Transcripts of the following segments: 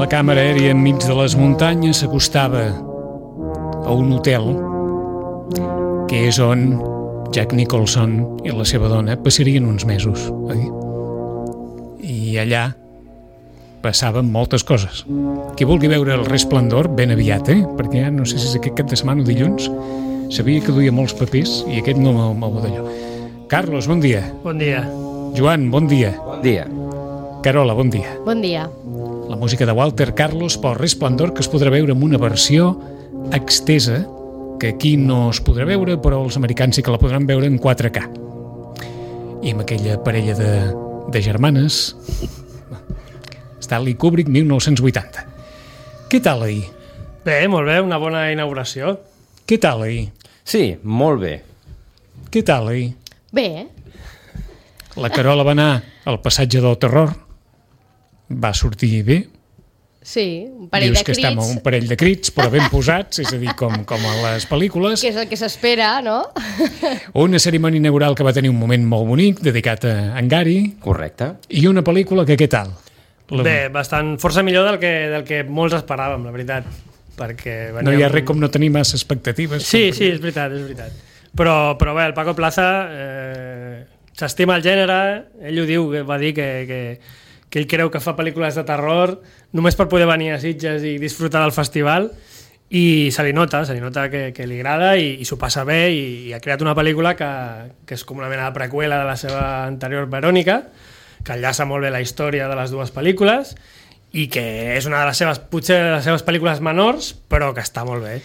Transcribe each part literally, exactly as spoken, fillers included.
Càmera aèria enmig de les muntanyes s'acostava a un hotel que és on Jack Nicholson i la seva dona passarien uns mesos, oi? I allà passaven moltes coses. Qui vulgui veure El Resplendor, ben aviat, eh? Perquè ja no sé si és aquest cap de setmana o dilluns, sabia que duia molts papers i aquest no m'ho d'allò. Carlos, bon dia. Bon dia. Joan, bon dia. Bon dia. Carola, bon dia. Bon dia. La música de Walter Carlos pel Resplendor, que es podrà veure en una versió extesa, que aquí no es podrà veure, però els americans sí que la podran veure en quatre K. I amb aquella parella de, de germanes, Stanley Kubrick, mil nou-cents vuitanta. Què tal ahir? Bé, molt bé, una bona inauguració. Què tal ahir? Sí, molt bé. Què tal ahir? Bé. La Carola va anar al passatge del terror, va sortir bé. Sí, un parell Dius de que crits. estem a un parell de crits, però ben posats, és a dir, com, com a les pel·lícules. Que és el que s'espera, no? Una cerimònia inaugural que va tenir un moment molt bonic, dedicat a en Gary. Correcte. I una pel·lícula que què tal? La... Bé, bastant, força millor del que, del que molts esperàvem, la veritat. Perquè no hi ha res com no tenir massa expectatives. Sí, sí, és veritat, és veritat. Però, però bé, el Paco Plaza eh, s'estima el gènere, ell ho diu, va dir que... que que ell creu que fa pel·lícules de terror només per poder venir a Sitges i disfrutar del festival, i se li nota, se li nota que, que li agrada i, i s'ho passa bé, i, i ha creat una pel·lícula que, que és com una mena de preqüela de la seva anterior Verònica, que enllaça molt bé la història de les dues pel·lícules i que és una de les seves, potser de les seves pel·lícules menors, però que està molt bé.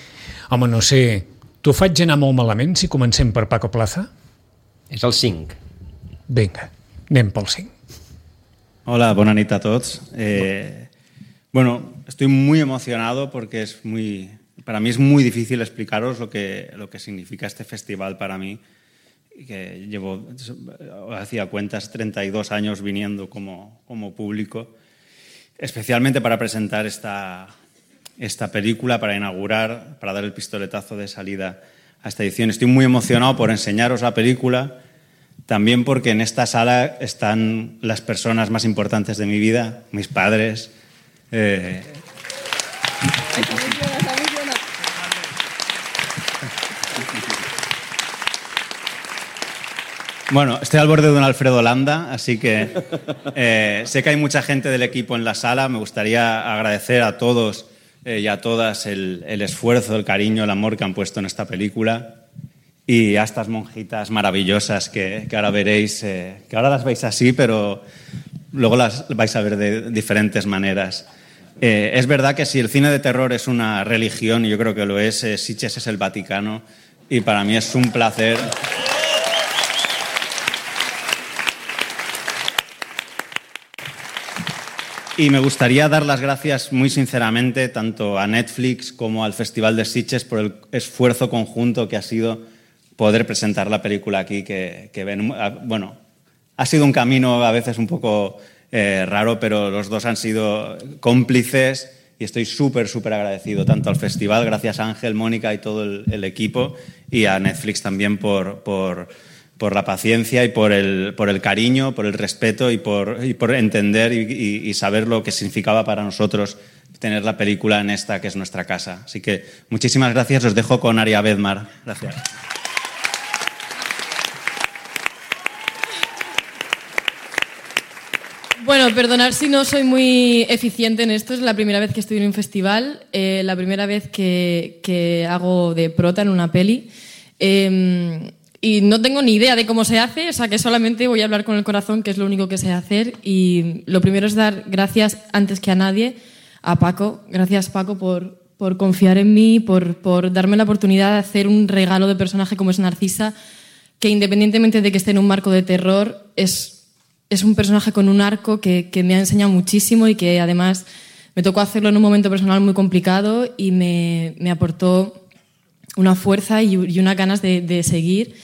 Home, no sé, t'ho faig anar molt malament si comencem per Paco Plaza? És el cinc. Vinga, anem pel cinc. Hola, buenas noches a todos. Eh, bueno, estoy muy emocionado porque es muy, para mí es muy difícil explicaros lo que, lo que significa este festival para mí, que llevo, hacía cuentas, treinta y dos años viniendo como, como público, especialmente para presentar esta, esta película, para inaugurar, para dar el pistoletazo de salida a esta edición. Estoy muy emocionado por enseñaros la película, también porque en esta sala están las personas más importantes de mi vida, mis padres. Eh... Bueno, estoy al borde de un Alfredo Landa, así que eh, sé que hay mucha gente del equipo en la sala. Me gustaría agradecer a todos eh, y a todas el, el esfuerzo, el cariño, el amor que han puesto en esta película. Y a estas monjitas maravillosas que, que ahora veréis, eh, que ahora las veis así, pero luego las vais a ver de diferentes maneras. Eh, es verdad que si el cine de terror es una religión, y yo creo que lo es, eh, Sitges es el Vaticano, y para mí es un placer. Y me gustaría dar las gracias muy sinceramente tanto a Netflix como al Festival de Sitges por el esfuerzo conjunto que ha sido poder presentar la película aquí, que, que ven, bueno, ha sido un camino a veces un poco eh, raro, pero los dos han sido cómplices y estoy súper, súper agradecido tanto al festival, gracias a Ángel, Mónica y todo el, el equipo, y a Netflix también por, por, por la paciencia y por el, por el cariño, por el respeto y por, y por entender y, y, y saber lo que significaba para nosotros tener la película en esta que es nuestra casa. Así que muchísimas gracias, os dejo con Aria Bedmar. Gracias. Bueno, perdonad si no soy muy eficiente en esto, es la primera vez que estoy en un festival, eh, la primera vez que, que hago de prota en una peli, eh, y no tengo ni idea de cómo se hace, o sea que solamente voy a hablar con el corazón, que es lo único que sé hacer, y lo primero es dar gracias antes que a nadie a Paco. Gracias, Paco, por, por confiar en mí, por, por darme la oportunidad de hacer un regalo de personaje como es Narcisa, que independientemente de que esté en un marco de terror, es... es un personaje con un arco que, que me ha enseñado muchísimo y que además me tocó hacerlo en un momento personal muy complicado y me, me aportó una fuerza y, y unas ganas de, de seguir.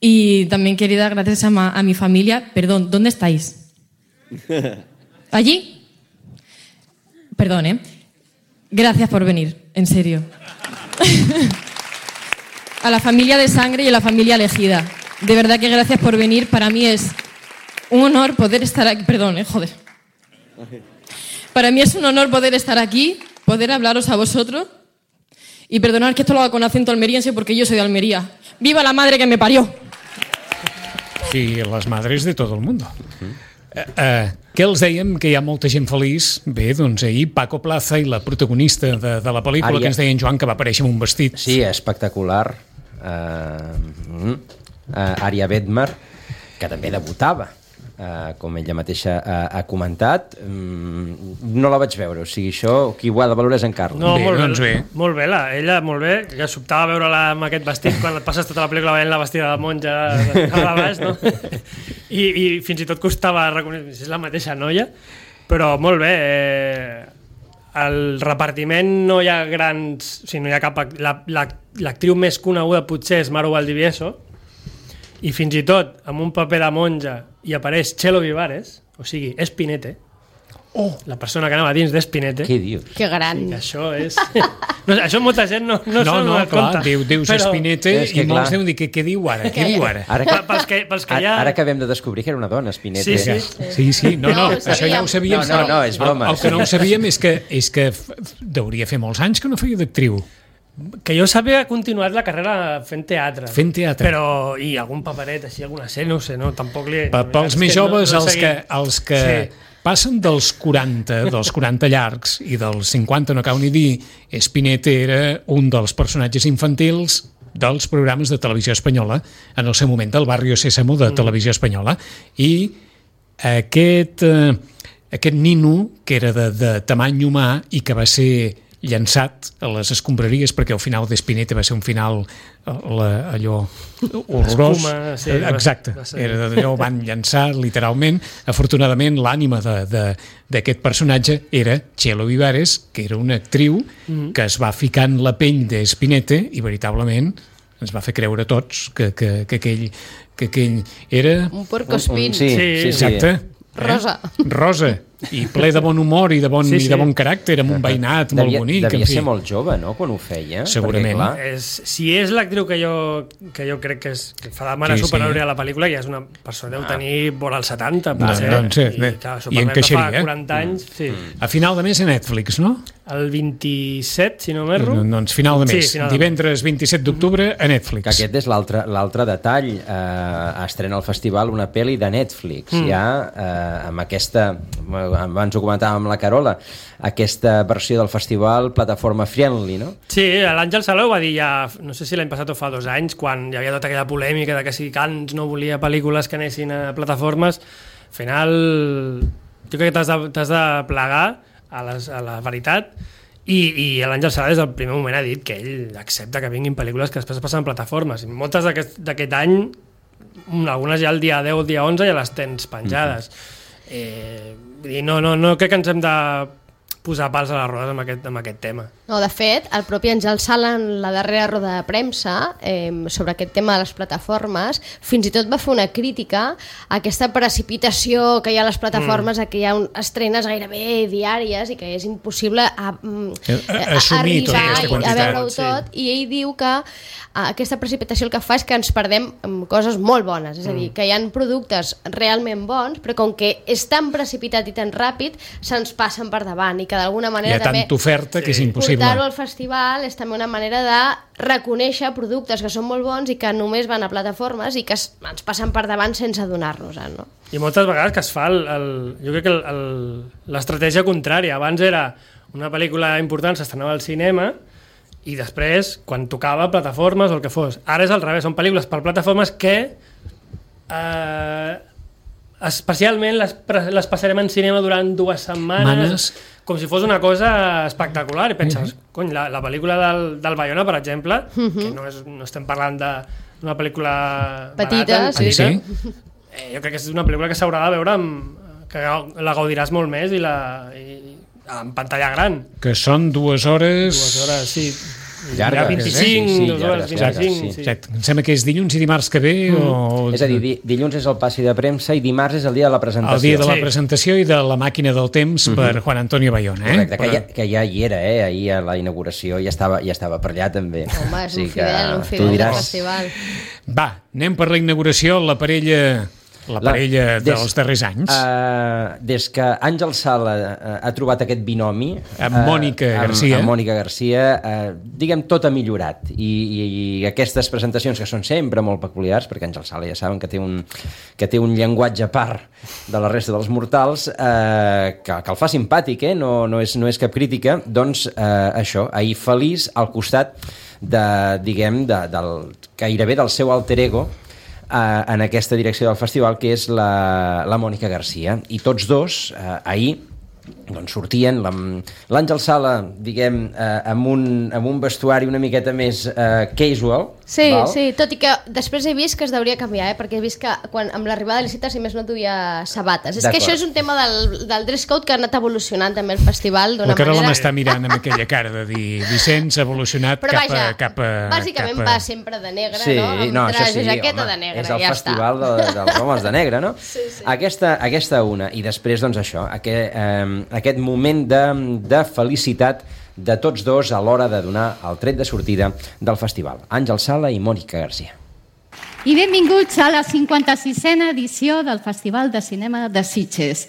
Y también quería dar gracias a, ma, a mi familia. Perdón, ¿dónde estáis? ¿Allí? Perdón, ¿eh? Gracias por venir, en serio. A la familia de sangre y a la familia elegida. De verdad que gracias por venir. Para mí es un honor poder estar aquí. Perdón, eh, joder. Para mí es un honor poder estar aquí, poder hablaros a vosotros. Y perdonad que esto lo haga con acento almeriense porque yo soy de Almería. ¡Viva la madre que me parió! Y les madres de tot el món. Uh, uh, què els dèiem? Que hi ha molta gent feliç. Bé, doncs ahir Paco Plaza i la protagonista de, de la pel·lícula, Aria... que ens deia en Joan, que va aparèixer amb un vestit. Sí, espectacular. Uh, uh, Aria Bedmer, que també debutava, uh, com ella mateixa uh, ha comentat. Um, no la vaig veure, o sigui, això, qui ho ha de valorar és en Carles. No, bé, molt, doncs bé. Molt bé, la, ella molt bé, ja sobtava veure-la amb aquest vestit quan et passes tota la pel·lícula veient la vestida de monja a baix, no? I, I fins i tot costava reconèixer si és la mateixa noia, però molt bé. Eh, el repartiment no hi ha grans... O sigui, no hi ha cap... La, la, l'actriu més coneguda potser és Maru Valdivieso, i fins i tot amb un paper de monja hi apareix Chelo Vivares, o sigui, és Spinette. Oh, la persona que anava dins d'Espinete. Què dius? Que gran. Sí, això és... no, això molta gent no, no, no, no, clar, compte. diu, dius però... Espinete és que, i molts clar. deuen dir, què, què diu ara? Què diu ara? Ara, que, Pels que, pels que ja... ara acabem de descobrir que era una dona, Spinette. Sí, sí. Sí, sí, no, no, No, ho això ja ho sabíem. sabíem. No, no, no, és broma. El, el que no ho sabíem és que, és que f- deuria fer molts anys que no feia d'actriu. Que jo sàpiga, ha continuat la carrera fent teatre. Fent teatre. Però, i algun paperet, així, alguna sèrie, no ho sé, no, tampoc li... Pa, pels més joves, els que, els que Sí. passen dels quaranta, dels quaranta llargs i dels cinquanta, no cal ni dir, Spinette era un dels personatges infantils dels programes de televisió espanyola, en el seu moment del Barrio Sésamo de televisió espanyola, i aquest, eh, aquest nino, que era de, de tamany humà i que va ser llançat a les escombraries, perquè el final d'Espinete va ser un final la, allò horrorós. Espuma, sí, exacte, va ser. era d'allò, van llançar literalment. Afortunadament l'ànima d'aquest personatge era Chelo Vivares, que era una actriu mm-hmm. que es va ficar en la pell d'Espinete i veritablement ens va fer creure a tots que, que, que, aquell, que aquell era... Un porcospín. Sí, sí, sí. Exacte. Rosa. Eh? Rosa. I ple de bon humor i de bon, Sí, sí. i de bon caràcter, amb un veïnat molt Devia, bonic. devia en fi. ser molt jove, no?, quan ho feia. Segurament. Perquè, clar, És, si és l'actriu que jo, que jo crec que, és, que fa de mare Sí, sí. superior a la pel·lícula, ja és una persona, deu tenir vora els setanta, No, potser. doncs, sí, I, bé. clar, I Superman encaixaria, fa eh? quaranta anys, sí. A final de mes a Netflix, no? El vint-i-set, si no m'erro. Doncs final de mes. Sí, final de mes. Divendres vint-i-set d'octubre a Netflix. que aquest és l'altre l'altre detall. Eh, estrena al festival una pel·li de Netflix, mm. ja eh, amb aquesta, abans ho comentàvem amb la Carola, aquesta versió del festival plataforma friendly, no? Sí, l'Àngel Salou va dir ja, no sé si l'any passat o fa dos anys, quan hi havia tota aquella polèmica de que si Cans no volia pel·lícules que anessin a plataformes, al final jo crec que t'has de, t'has de plegar a, les, a la veritat, i, i l'Àngel Salou des del primer moment ha dit que ell accepta que vinguin pel·lícules que després passen en plataformes, i moltes d'aquest, d'aquest any, algunes ja el dia deu o el dia onze ja les tens penjades. Mm-hmm. eh, i no, no, no crec que ens hem de posar pals a les rodes amb aquest, amb aquest tema. No, de fet, el propi Àngel Sala en la darrera roda de premsa eh, sobre aquest tema de les plataformes fins i tot va fer una crítica a aquesta precipitació que hi ha a les plataformes, mm. a que hi ha un, estrenes gairebé diàries i que és impossible a, a, a assumir tota arribar aquesta i a quantitat. veure-ho tot, i ell diu que a, aquesta precipitació el que fa és que ens perdem amb coses molt bones, és a dir, que hi ha productes realment bons, però com que és tan precipitat i tan ràpid, se'ns passen per davant i que d'alguna Hi manera ha també tanta oferta que és impossible. portar-ho al festival és també una manera de reconèixer productes que són molt bons i que només van a plataformes i que es, ens passen per davant sense adonar-nos-en, no? I moltes vegades que es fa el, el, jo crec que el, el, l'estratègia contrària. Abans era una pel·lícula important, s'estrenava al cinema i després, quan tocava plataformes o el que fos. Ara és al revés, són pel·lícules per plataformes que eh, especialment les, les passarem en cinema durant dues setmanes, Manes. com si fos una cosa espectacular, i penses, mm-hmm. cony, la, la pel·lícula del, del Bayona, per exemple, mm-hmm. que no, és, no estem parlant d'una pel·lícula Petita, barata, sí. petita, Sí. eh, jo crec que és una pel·lícula que s'haurà de veure amb, que la gaudiràs molt més i, la, i en pantalla gran. Que són dues hores... Dues hores, sí. Llarga, vint-i-cinc, sí, sí, dues hores, llargues, vint-i-cinc. sí. Sí. Em sembla que és dilluns i dimarts que ve mm. o... És a dir, di dilluns és el passi de premsa i dimarts és el dia de la presentació. El dia de la Sí. presentació i de la màquina del temps uh -huh. per Juan Antonio Bayona. Eh? Correcte, que ja, que ja hi era, eh? Ahir a la inauguració ja estava, ja estava per allà també. Home, és sí un fidel, un fidel del festival. Va, anem per la inauguració, la parella... La parella la, des, dels darrers anys. Uh, des que Àngel Sala uh, ha trobat aquest binomi... Amb Mònica uh, Garcia. Amb, amb Mònica Garcia, uh, diguem, tot ha millorat. I, i, I aquestes presentacions, que són sempre molt peculiars, perquè Àngel Sala ja saben que té un, que té un llenguatge a part de la resta dels mortals, uh, que, que el fa simpàtic, eh? no, no, és, no és cap crítica, doncs uh, això, ahir feliç al costat de, diguem, de, del, gairebé del seu alter ego, Uh, en aquesta direcció del festival, que és la, la Mònica Garcia. I tots dos, uh, ahir, doncs sortien, l'Àngel Sala, diguem, uh, amb, un, amb un vestuari una miqueta més uh, casual. Sí, val? sí, tot i que després he vist que es deuria canviar, eh? Perquè he vist que quan, amb l'arribada de l'Icita, si més no duia sabates. És que això és un tema del, del dress code que ha anat evolucionant també el festival d'una manera... La Carola manera... m'està mirant amb aquella cara de dir Vicenç ha evolucionat Però cap, vaja, a, cap a... bàsicament cap a... va sempre de negre, sí, no? Amb no, traje, sí, jaqueta home, de negre, és el ja festival està. de, dels homes de negre, no? Sí, sí. Aquesta, aquesta una. I després, doncs, això, aquest, eh, aquest moment de, de felicitat de tots dos a l'hora de donar el tret de sortida del festival. Àngel Sala i Mònica Garcia. I benvinguts a la cinquanta-sisena edició del Festival de Cinema de Sitges.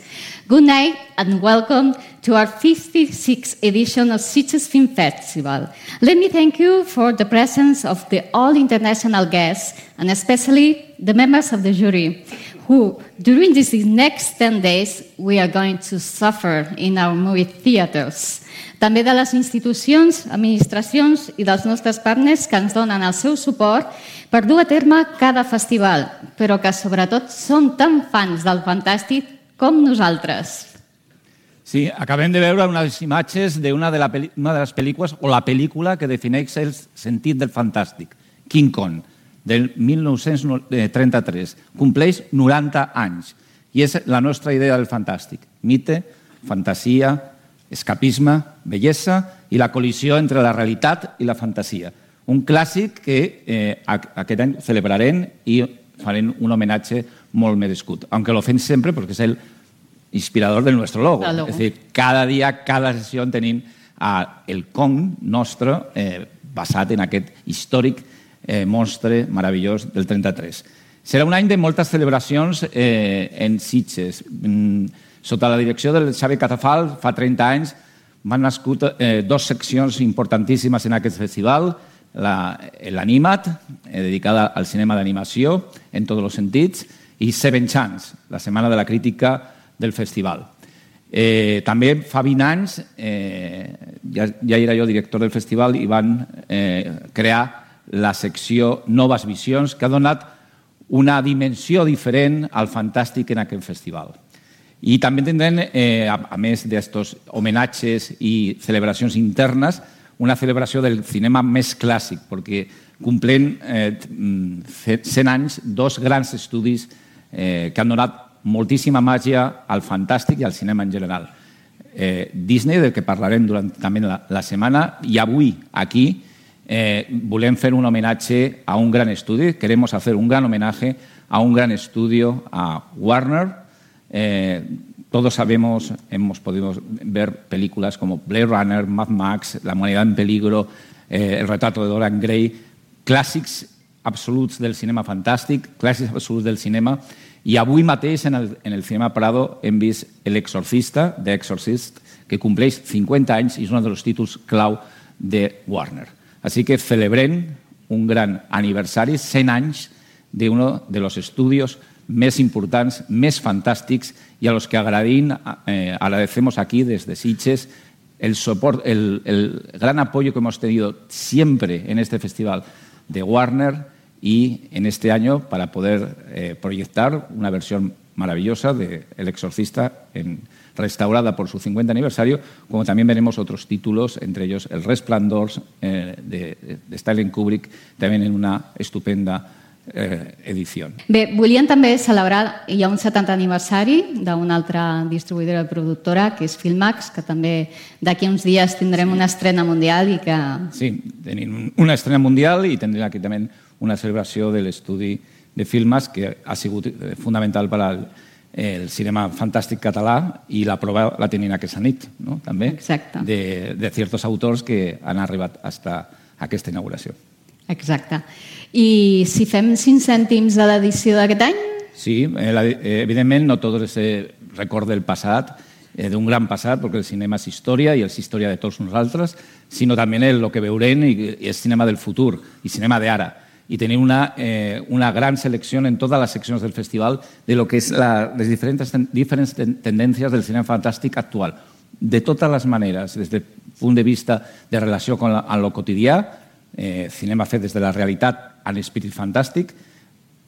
Good night and welcome to our fifty-sixth edition of Sitges Film Festival. Let me thank you for the presence of the all international guests and especially the members of the jury who, during these next ten days, we are going to suffer in our movie theaters. També de les institucions, administracions i dels nostres partners que ens donen el seu suport per dur a terme cada festival, però que sobretot són tan fans del fantàstic com nosaltres. Sí, acabem de veure unes imatges d'una de, la una de les pel·lícules, o la pel·lícula que defineix el sentit del fantàstic, King Kong, del mil nou-cents trenta-tres. Compleix noranta anys. I és la nostra idea del fantàstic. Mite, fantasia, escapisme, bellesa i la col·lisió entre la realitat i la fantasia. Un clàssic que eh, aquest any celebrarem i farem un homenatge molt merescut. Aunque lo fem sempre perquè és el inspirador del nostre logo. logo. És a dir, cada dia, cada sessió tenim uh, el Kong nostre eh, basat en aquest històric eh, monstre meravellós del trenta-tres. Serà un any de moltes celebracions eh, en Sitges. Mm, sota la direcció del Xavi Catafal, fa trenta anys, van nascut eh, dos seccions importantíssimes en aquest festival, l'Animat, eh, dedicada al cinema d'animació, en tots els sentits, i Seven Chance, la setmana de la crítica del festival. Eh, també fa vint anys, eh, ja, ja era jo director del festival, i van eh, crear la secció Noves Visions, que ha donat una dimensió diferent al fantàstic en aquest festival. I també tindrem, eh, a, a més d'estos homenatges i celebracions internes, una celebració del cinema més clàssic, perquè complen eh, cent anys dos grans estudis eh, que han donat moltíssima màgia al fantàstic i al cinema en general. Eh, Disney, del que parlarem durant també la, la setmana, i avui aquí eh, volem fer un homenatge a un gran estudi, queremos hacer un gran homenaje a un gran estudio, a Warner. Eh, todos sabemos, hemos podido ver películas como Blade Runner, Mad Max, La humanidad en peligro, eh, El retrato de Dorian Gray, clàssics absoluts del cinema fantàstic, clàssics absoluts del cinema, i avui mateix en el, en el Cinema Prado hem vist L'Exorcista, The Exorcist, que compleix cinquanta anys i és un dels títols clau de Warner. Així que celebrem un gran aniversari, cent anys d'uno de los estudios més importants, més fantàstics, i a los que agradim, eh, agradecemos aquí desde Sitges el, support, el, el gran apoyo que hemos tenido siempre en este festival de Warner y en este año para poder eh, proyectar una versión maravillosa de El Exorcista en, restaurada por su cincuenta aniversario, como también veremos otros títulos, entre ellos El Resplandor eh, de, de Stanley Kubrick, también en una estupenda versión eh, edició. Bé, volien també celebrar, hi ha un setanta aniversari d'una altra distribuïdora i productora, que és Filmax, que també d'aquí uns dies tindrem sí. una estrena mundial i que... Sí, tenim una estrena mundial i tindrem aquí també una celebració de l'estudi de Filmax, que ha sigut fundamental per al el cinema fantàstic català, i la prova la tenim aquesta nit, no? també, Exacte. de, de certs autors que han arribat fins a aquesta inauguració. Exacte. I si fem cinc cèntims de l'edició d'aquest any? Sí, eh, evidentment no tot és record del passat, eh, d'un gran passat, perquè el cinema és història i és història de tots nosaltres, sinó també el que veurem i és cinema del futur i cinema d'ara. I tenim una, eh, una gran selecció en totes les seccions del festival de lo que és la, les diferents, diferents tendències del cinema fantàstic actual. De totes les maneres, des del punt de vista de relació con la, amb lo quotidià, eh, cinema fet des de la realitat a l'esperit fantàstic,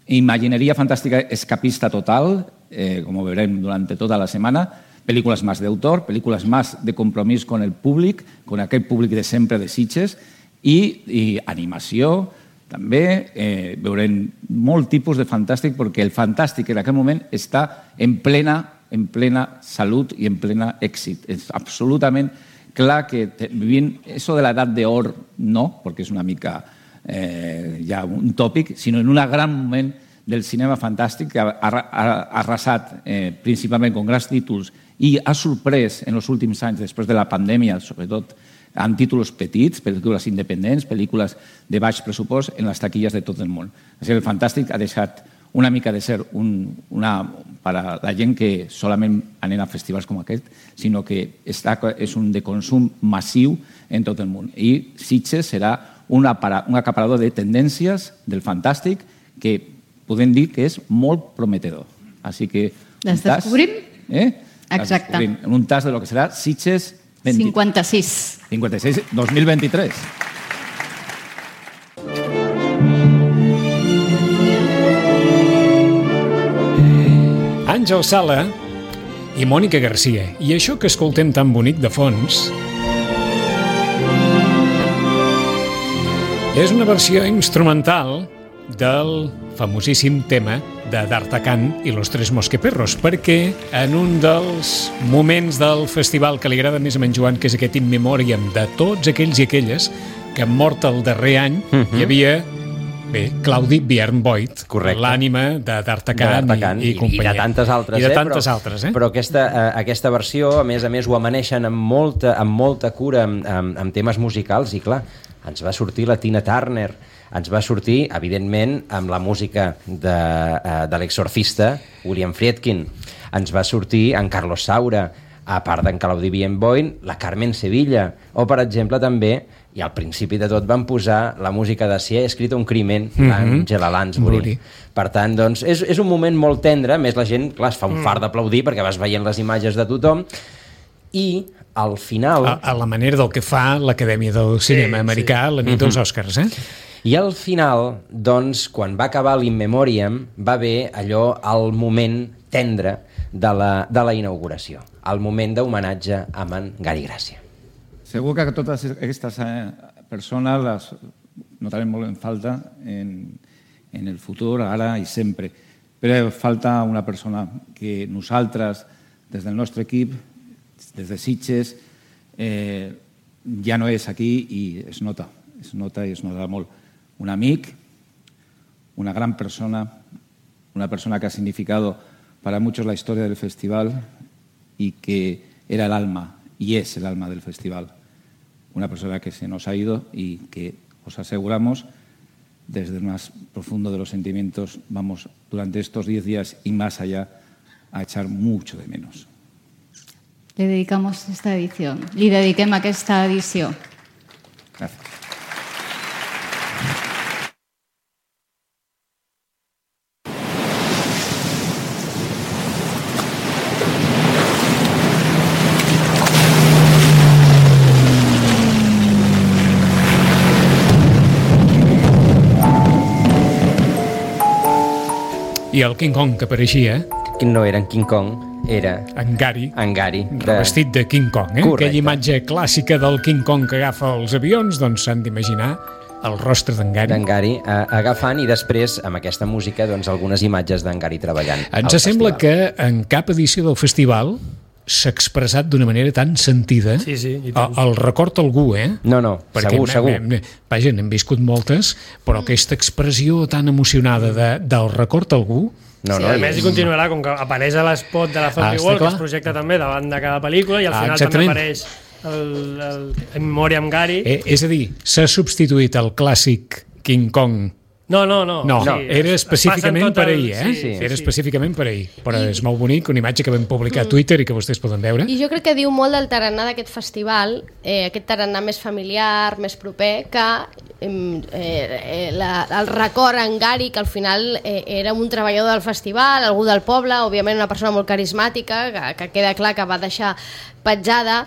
imagineria fantàstica escapista total, eh, com ho veurem durant tota la setmana, pel·lícules més d'autor, pel·lícules més de compromís con el públic, con aquell públic de sempre de Sitges, i, i animació. També eh, veurem molt tipus de fantàstic, perquè el fantàstic en aquest moment està en plena, en plena salut i en plena èxit. És absolutament clar que vivim això de l'edat d'or, no, perquè és una mica eh, ja un tòpic, sinó en un gran moment del cinema fantàstic que ha, ha, ha arrasat eh, principalment amb grans títols i ha sorprès en els últims anys, després de la pandèmia, sobretot, amb títols petits, pel·lícules independents, pel·lícules de baix pressupost en les taquilles de tot el món. Així, el fantàstic ha deixat una mica de ser un, una, per a la gent que solament anem a festivals com aquest, sinó que està, és un de consum massiu en tot el món. I Sitges serà un, un acaparador de tendències del fantàstic que podem dir que és molt prometedor. Així que... Les descobrim? Eh? Exacte. En un tas de lo que serà Sitges cinquanta-sis. cinquanta-sis, dos mil vint-i-tres. Àngel Sala i Mònica Garcia. I això que escoltem tan bonic de fons és una versió instrumental del famosíssim tema de D'Artagnan i los tres mosqueperros, perquè en un dels moments del festival que li agrada més a en Joan, que és aquest in memoriam de tots aquells i aquelles que han mort el darrer any, uh-huh. hi havia bé, Claudi Björn-Voigt, l'ànima de D'Artagnan i, i companyia. I de tantes altres. I de eh? tantes però, altres, eh? Però aquesta, eh, aquesta versió, a més a més, ho amaneixen amb molta, amb molta cura amb, amb, amb temes musicals i, clar, ens va sortir la Tina Turner, ens va sortir, evidentment, amb la música de, uh, de l'exorcista, William Friedkin. Ens va sortir en Carlos Saura, a part d'en Claudi Björn-Voigt, la Carmen Sevilla, o, per exemple, també, i al principi de tot van posar la música de Si he escrit un crimen, d'Angela Lansbury. Per tant, doncs, és, és un moment molt tendre, més la gent, clar, es fa un fart d'aplaudir perquè vas veient les imatges de tothom, i al final... A, a la manera del que fa l'Acadèmia del Cinema sí, Americà sí. la nit dels Oscars, eh? I al final, doncs, quan va acabar l'In Memoriam, va haver allò, el moment tendre de la, de la inauguració, el moment d'homenatge a en Gary Gràcia. Segur que totes aquestes persones les notarem molt en falta en, en el futur, ara i sempre. Però falta una persona que nosaltres, des del nostre equip, des de Sitges, eh, ja no és aquí i es nota, es nota i es nota molt. Un amic, una gran persona, una persona que ha significado para muchos la historia del festival y que era el alma y es el alma del festival. Una persona que se nos ha ido y que os aseguramos desde el más profundo de los sentimientos vamos durante estos diez días y más allá a echar mucho de menos. Le dedicamos esta edición. Li dediquem aquesta edició. Gràcies. I el King Kong que apareixia... No era en King Kong, era... En Gary. En Gary. Revestit de King Kong, eh? Correcte. Aquella imatge clàssica del King Kong que agafa els avions, doncs s'han d'imaginar el rostre d'en Gary. D'en Gary, eh, agafant i després, amb aquesta música, doncs, algunes imatges d'en Gary treballant. Ens sembla que en cap edició del festival s'ha expressat d'una manera tan sentida. Sí, sí, i el, el record algú, eh? No, no, perquè segur, segur. Hem, vaja, n'hem viscut moltes, però aquesta expressió tan emocionada de, del record algú. No, sí, no, a més, hi continuarà, com que apareix a l'espot de la Zombie Ah, World, està que es projecta també davant de cada pel·lícula, i al Ah, final exactament. també apareix el, el, el Memòria amb Gary. Eh, és a dir, s'ha substituït el clàssic King Kong. No, no, no. No, sí, era es- es específicament passen tot per el- ahir, eh? sí, sí, Era sí. específicament per ahir. Però és molt bonic, una imatge que vam publicar a Twitter i que vostès poden veure. I jo crec que diu molt del tarannà d'aquest festival, eh, aquest tarannà més familiar, més proper, que eh, eh, la, el record en Gary, que al final eh, era un treballador del festival, algú del poble, òbviament una persona molt carismàtica, que, que queda clar que va deixar petjada,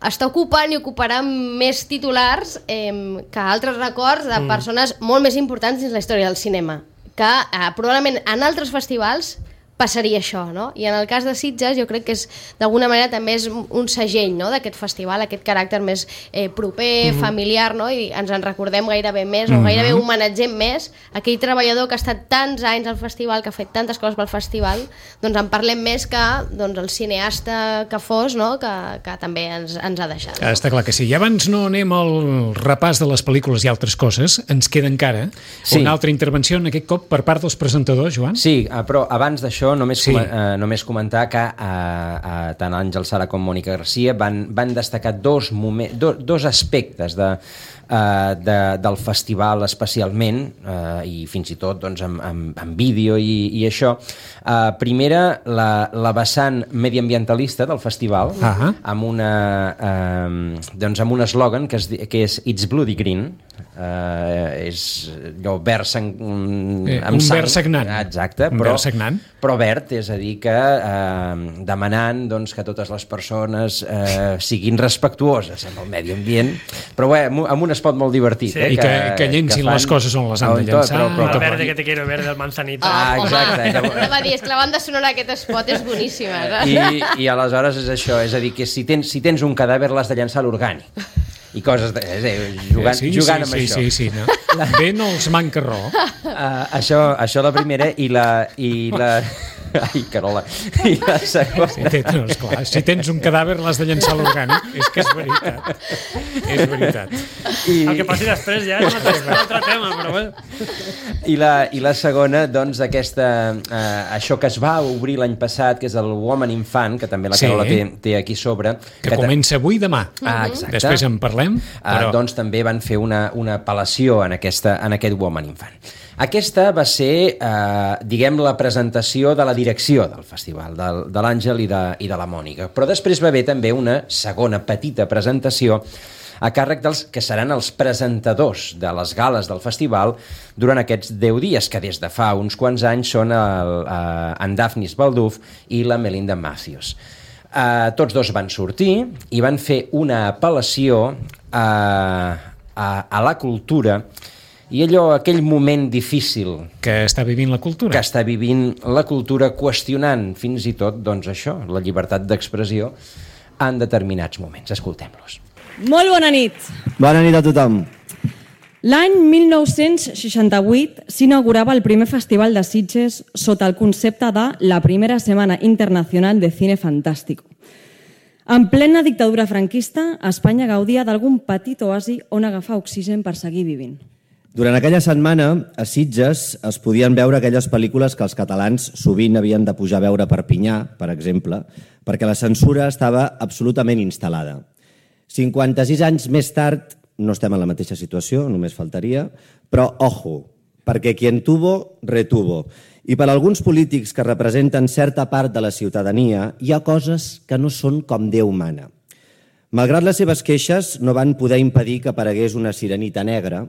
està ocupant i ocuparà més titulars eh, que altres records de persones molt més importants dins la història del cinema, que eh, probablement en altres festivals passaria això, no? I en el cas de Sitges jo crec que és d'alguna manera també és un segell, no?, d'aquest festival, aquest caràcter més eh, proper, Mhm. familiar, no? I ens en recordem gairebé més, o Mhm. gairebé homenatgem més aquell treballador que ha estat tants anys al festival, que ha fet tantes coses pel festival, doncs en parlem més que doncs, el cineasta que fos, no?, que, que també ens, ens ha deixat. Ah, està clar que sí. I abans no anem al repàs de les pel·lícules i altres coses, ens queda encara Sí. una altra intervenció, en aquest cop per part dels presentadors, Joan. Sí, eh, però abans d'això només, Sí. sí. eh, només comentar que eh, eh, tant Àngel Sala com Mònica Garcia van, van destacar dos, momen, do, dos aspectes de, eh, de, del festival especialment, eh, i fins i tot doncs, amb, amb, amb vídeo i, i això. Eh, primera, la, la vessant mediambientalista del festival, Ah. amb, una, eh, doncs amb un eslògan que, es, di- que és It's Bloody Green, eh, és allò verd sang, Eh, amb un sang. verd sagnant. Exacte, Un però, verd sagnant. però verd, és a dir que eh, demanant doncs, que totes les persones eh, siguin respectuoses amb el medi ambient, però bé, amb, un- amb un espot molt divertit. Sí. Eh, I que, que llencin fan- les coses on les han de on tot, llançar. però- però- El tot. verde que te quiero ver del Manzanita. Ah, exacte. Home, va dir, és que la banda sonora d'aquest espot és boníssima. saps? I, I aleshores és això, és a dir, que si tens, si tens un cadàver l'has de llançar a l'orgànic. I coses de, és a dir, jugant, sí, jugant sí, amb sí, això. sí, sí, no? Bé no els manca raó. Uh, això, això la primera i la... I la... Ai, Carola. I la segona... Sí, té, no, esclar, si tens un cadàver l'has de llançar a l'orgànic, és que és veritat. És veritat. I, El que passi després ja és un altre, un altre tema, però bé. i, la, I la segona, doncs, aquesta, uh, això que es va obrir l'any passat, que és el Woman Infant, que també la Sí. Carola té, té aquí sobre. Que ta- comença avui i demà. Ah, exacte. Després en parlem, però... Uh, doncs també van fer una, una apel·lació en, aquesta, en aquest Woman Infant. Aquesta va ser, eh, diguem, la presentació de la direcció del festival, del, de l'Àngel i, de, i de la Mònica. Però després va haver també una segona petita presentació a càrrec dels que seran els presentadors de les gales del festival durant aquests deu dies, que des de fa uns quants anys són el, eh, en Daphnis Balduf i la Melinda Matthews. Uh, tots dos van sortir i van fer una apel·lació a, a, a la cultura i allò, aquell moment difícil Que està vivint la cultura. que està vivint la cultura, qüestionant fins i tot, doncs això, la llibertat d'expressió en determinats moments. Escoltem-los. Molt bona nit. Bona nit a tothom. L'any mil nou-cents seixanta-vuit s'inaugurava el primer festival de Sitges sota el concepte de la primera setmana internacional de cine fantàstico. En plena dictadura franquista, Espanya gaudia d'algun petit oasi on agafar oxigen per seguir vivint. Durant aquella setmana, a Sitges es podien veure aquelles pel·lícules que els catalans sovint havien de pujar a veure a Perpinyà, per exemple, perquè la censura estava absolutament instal·lada. cinquanta-sis anys més tard, no estem en la mateixa situació, només faltaria, però ojo, perquè quien tuvo, retuvo. I per a alguns polítics que representen certa part de la ciutadania, hi ha coses que no són com Déu mana. Malgrat les seves queixes, no van poder impedir que aparegués una sirenita negra,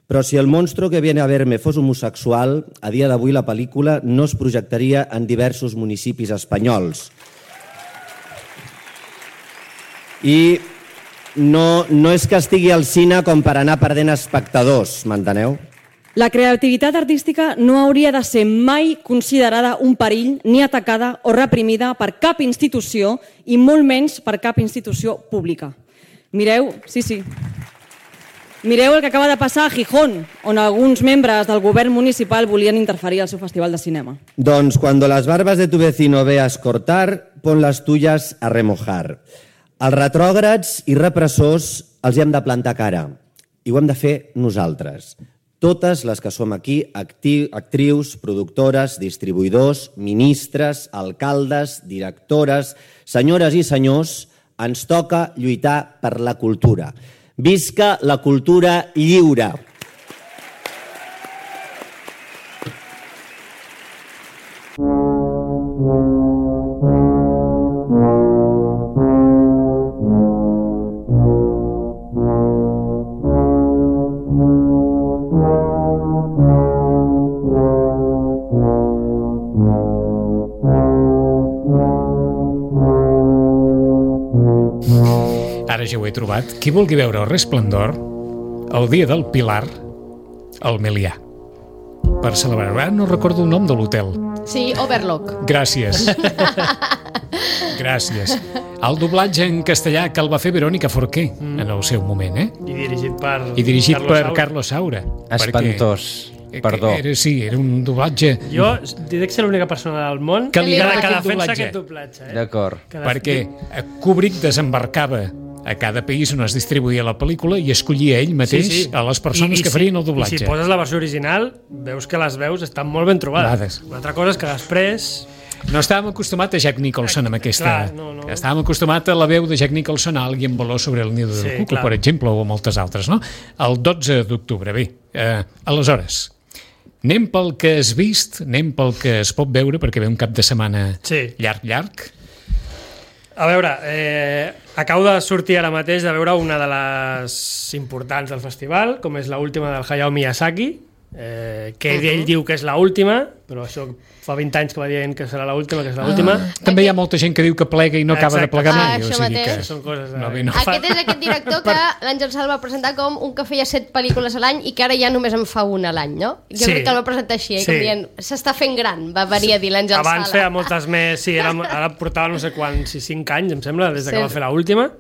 però si el monstro que viene a verme fos homosexual, a dia d'avui la pel·lícula no es projectaria en diversos municipis espanyols. I no, no és que estigui al cine com per anar perdent espectadors, m'enteneu? La creativitat artística no hauria de ser mai considerada un perill ni atacada o reprimida per cap institució i molt menys per cap institució pública. Mireu, sí, sí. Mireu el que acaba de passar a Gijón, on alguns membres del govern municipal volien interferir al seu festival de cinema. Doncs cuando las barbas de tu vecino veas cortar, pon las tuyas a remojar. Els retrògrads i repressors els hi hem de plantar cara, i ho hem de fer nosaltres. Totes les que som aquí, acti- actrius, productores, distribuïdors, ministres, alcaldes, directores, senyores i senyors, ens toca lluitar per la cultura. Visca la cultura lliure! Ara ja ho he trobat. Qui vulgui veure el Resplendor, el dia del Pilar, al Melià. Per celebrar. Ara no recordo el nom de l'hotel. Sí, Overlock. Gràcies. Gràcies. El doblatge en castellà que el va fer Verònica Forqué mm. en el seu moment, eh? I dirigit per... I dirigit Carlos per Saura. Carlos Saura. Espantós. Perquè, Perdó. Era, sí, era un doblatge... Jo diré que ser l'única persona del món que, li que, agrada que aquest defensa doblatge. aquest doblatge. Eh? D'acord. Que Perquè Kubrick desembarcava a cada país on es distribuïa la pel·lícula i escollia ell mateix sí, sí. a les persones I, i que farien el doblatge. I si poses la versió original, veus que les veus estan molt ben trobades. Vades. Una altra cosa és que després... No estàvem acostumats a Jack Nicholson amb aquesta... Clar, no, no. Estàvem acostumats a la veu de Jack Nicholson a Alguien voló sobre el nido del Sí, cuco, clar. per exemple, o moltes altres, no? El dotze d'octubre, bé. Eh, aleshores, anem pel que has vist, anem pel que es pot veure, perquè ve un cap de setmana Sí. llarg, llarg. A veure, eh, acabo de sortir ara mateix de veure una de les importants del festival, com és l'última del Hayao Miyazaki, eh, que ell, ell diu que és l'última, però això fa vint anys que va dient que serà l'última, que és l'última. Ah, també hi ha molta gent que diu que plega i no acaba de Exacte. plegar Ah, mai. això o sigui mateix. que... Són coses de... No, bé, no. Aquest és aquest director que l'Àngel Sal va presentar com un que feia set pel·lícules a l'any i que ara ja només en fa una a l'any, no? Jo Sí. crec que el va presentar així, eh? Sí. Com dient, s'està fent gran, va venir a dir l'Àngel Sala. Abans feia moltes més, sí, era, ara portava no sé quants, si cinc anys, em sembla, des de que Sí. va fer l'última.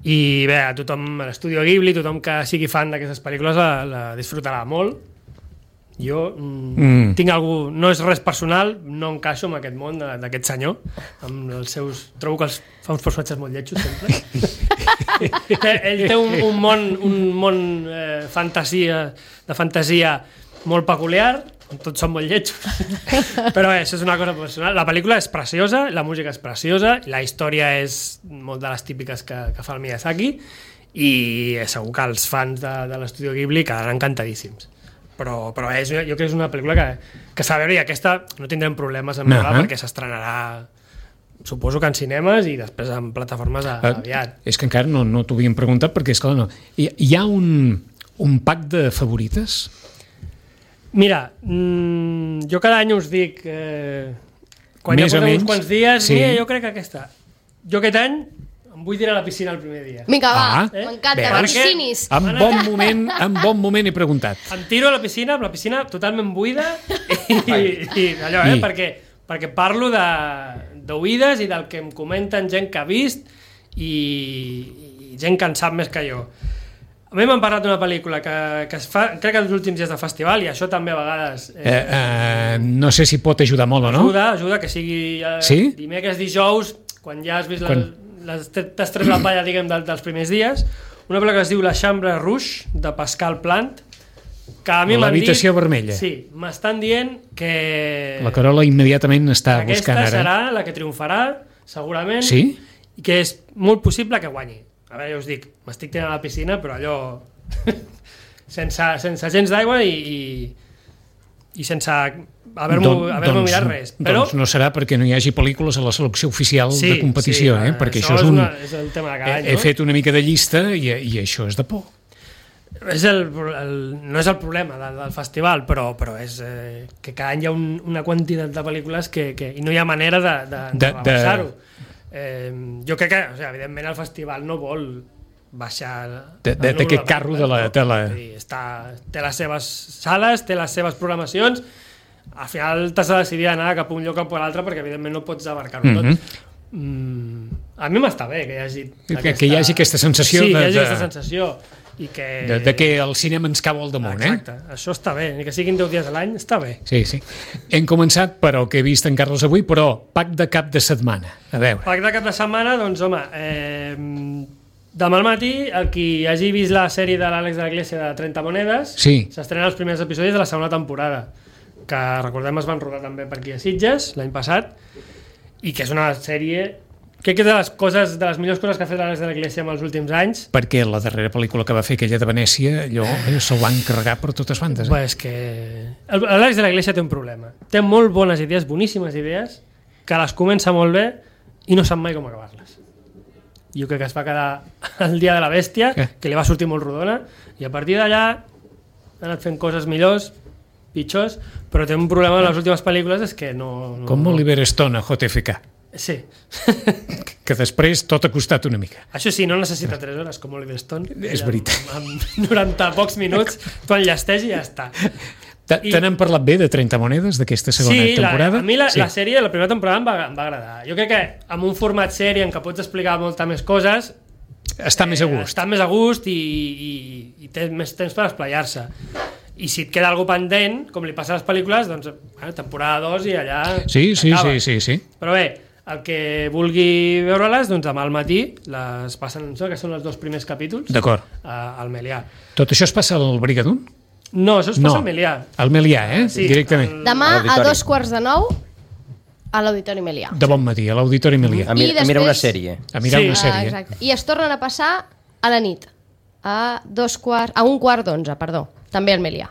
I bé, a tothom, a l'estudi Ghibli, tothom que sigui fan d'aquestes pel·lícules la, la disfrutarà molt. Jo mm, Mm. tinc algú, no és res personal, no encaixo en aquest món de- d'aquest senyor, amb els seus... Trobo que els, fa uns personatges molt lletjos, sempre. Ell té un, un món, un món eh, fantasia, de fantasia molt peculiar, on tots són molt lletjos. Però bé, això és una cosa personal. La pel·lícula és preciosa, la música és preciosa, la història és molt de les típiques que, que fa el Miyazaki, i segur que els fans de, de l'Estudio Ghibli quedaran encantadíssims. Però, però és, jo crec que és una pel·lícula que, que s'ha de veure, i aquesta no tindrem problemes en veure, Uh-huh. perquè s'estrenarà, suposo que en cinemes i després en plataformes a, aviat. Eh, és que encara no, no t'ho havíem preguntat perquè, esclar, no. Hi, hi ha un, un pack de favorites? Mira, mmm, jo cada any us dic, eh, quan Més ja o portem uns menys, quants dies, sí. mira, jo crec que aquesta. Jo aquest any em vull tirar a la piscina el primer dia. Vinga, va, Ah, m'encanta, bé, vaccininis. En bon moment, en bon moment he preguntat. Em tiro a la piscina, amb la piscina totalment buida, i, i allò, eh, I? perquè, perquè parlo de d'oïdes i del que em comenten gent que ha vist i, i gent que en sap més que jo. A mi m'han parlat d'una pel·lícula que, que es fa, crec que els últims dies de festival, i això també a vegades... Eh, eh, no sé si pot ajudar molt o no. Ajuda, ajuda, que sigui eh, Sí? dimecres, dijous, quan ja has vist Quan- la, les, t'has tret la palla, diguem, del, dels primers dies, una pel·lícula que es diu La Chambre Rouge, de Pascal Plant, que a mi m'han dit... L'habitació vermella. Sí, m'estan dient que... La Carola immediatament està aquesta buscant ara. serà la que triomfarà, segurament, Sí? i que és molt possible que guanyi. A veure, ja us dic, m'estic tirant a la piscina, però allò... sense, sense gens d'aigua i, i, i sense haver-m'ho Don- haver doncs, mirat res. Però Doncs no serà perquè no hi hagi pel·lícules a la selecció oficial Sí, de competició, sí, eh? perquè això això és és un... una- és el tema de cada he, any, he no? fet una mica de llista i, i això és de por. és el, el, no és el problema del, del festival, però, però és eh, que cada any hi ha un, una quantitat de pel·lícules que, que, i no hi ha manera de, de, de, De- de rebaixar-ho. Eh, jo crec que, o sigui, evidentment, el festival no vol baixar De- el de- número d'aquest carro de la- pel·lícules, de la- Vull dir, està, té les seves sales, té les seves programacions, al final t'has de decidir anar cap a un lloc o per l'altre perquè evidentment no pots abarcar-ho Mhm. tot. Mm, a mi m'està bé que hi hagi Que- que hi hagi aquesta sensació sí, de- que hi hagi de- aquesta sensació. i que... De, de que el cinema ens cau al damunt, Exacte, eh? això està bé, ni que siguin deu dies a l'any, està bé. Sí, sí. Hem començat per el que he vist en Carles avui, però pack de cap de setmana. A veure. Pack de cap de setmana, doncs, home, eh, demà al matí, el qui hagi vist la sèrie de l'Àlex de la Iglesia de trenta monedes, sí. s'estrenen els primers episodis de la segona temporada, que recordem es van rodar també per aquí a Sitges l'any passat, i que és una sèrie... Crec que és de les, coses, de les millors coses que ha fet l'Àlex de la Iglesia en els últims anys. Perquè la darrera pel·lícula que va fer, aquella de Venècia, allò se'l van carregar per totes bandes. Eh? Bé, és que l'Àlex de la Iglesia té un problema. Té molt bones idees, boníssimes idees, que les comença molt bé i no sap mai com acabar-les. Jo crec que es va quedar el dia de la bèstia, eh? que li va sortir molt rodona, i a partir d'allà ha anat fent coses millors, pitjors, però té un problema en les últimes pel·lícules, és que no... no Com Oliver Stone a J F K. Sí. Que després tot ha costat una mica. Això sí, no necessita tres hores com Oliver Stone. És veritat. Amb, amb noranta pocs minuts tu enllesteix i ja està. Te n'hem parlat bé de trenta monedes d'aquesta segona sí, temporada? Sí, a mi la, sí. la sèrie, la primera temporada em va, em va agradar. Jo crec que amb un format sèrie en què pots explicar molta més coses... Està més a gust. Eh, està més a gust i, i, i té més temps per esplaiar-se. I si et queda algú pendent, com li passa a les pel·lícules, doncs bueno, temporada dos i allà... Sí, sí, acaba. sí, sí, sí. Però bé, el que vulgui veure-les, doncs demà al matí les passen, no sé, que són els dos primers capítols. D'acord. Al Melià. Tot això es passa al Brigadún? No, això es passa no. al Melià. Al Melià, eh? Sí, directament. el... Demà a dos quarts de nou a l'Auditori Melià. De bon matí, a l'Auditori Melià. A, mir després... a mirar una sèrie. A mirar sí. una sèrie. Ah, exacte. I es tornen a passar a la nit. A, dos quarts, a un quart d'onze, perdó. També al Melià.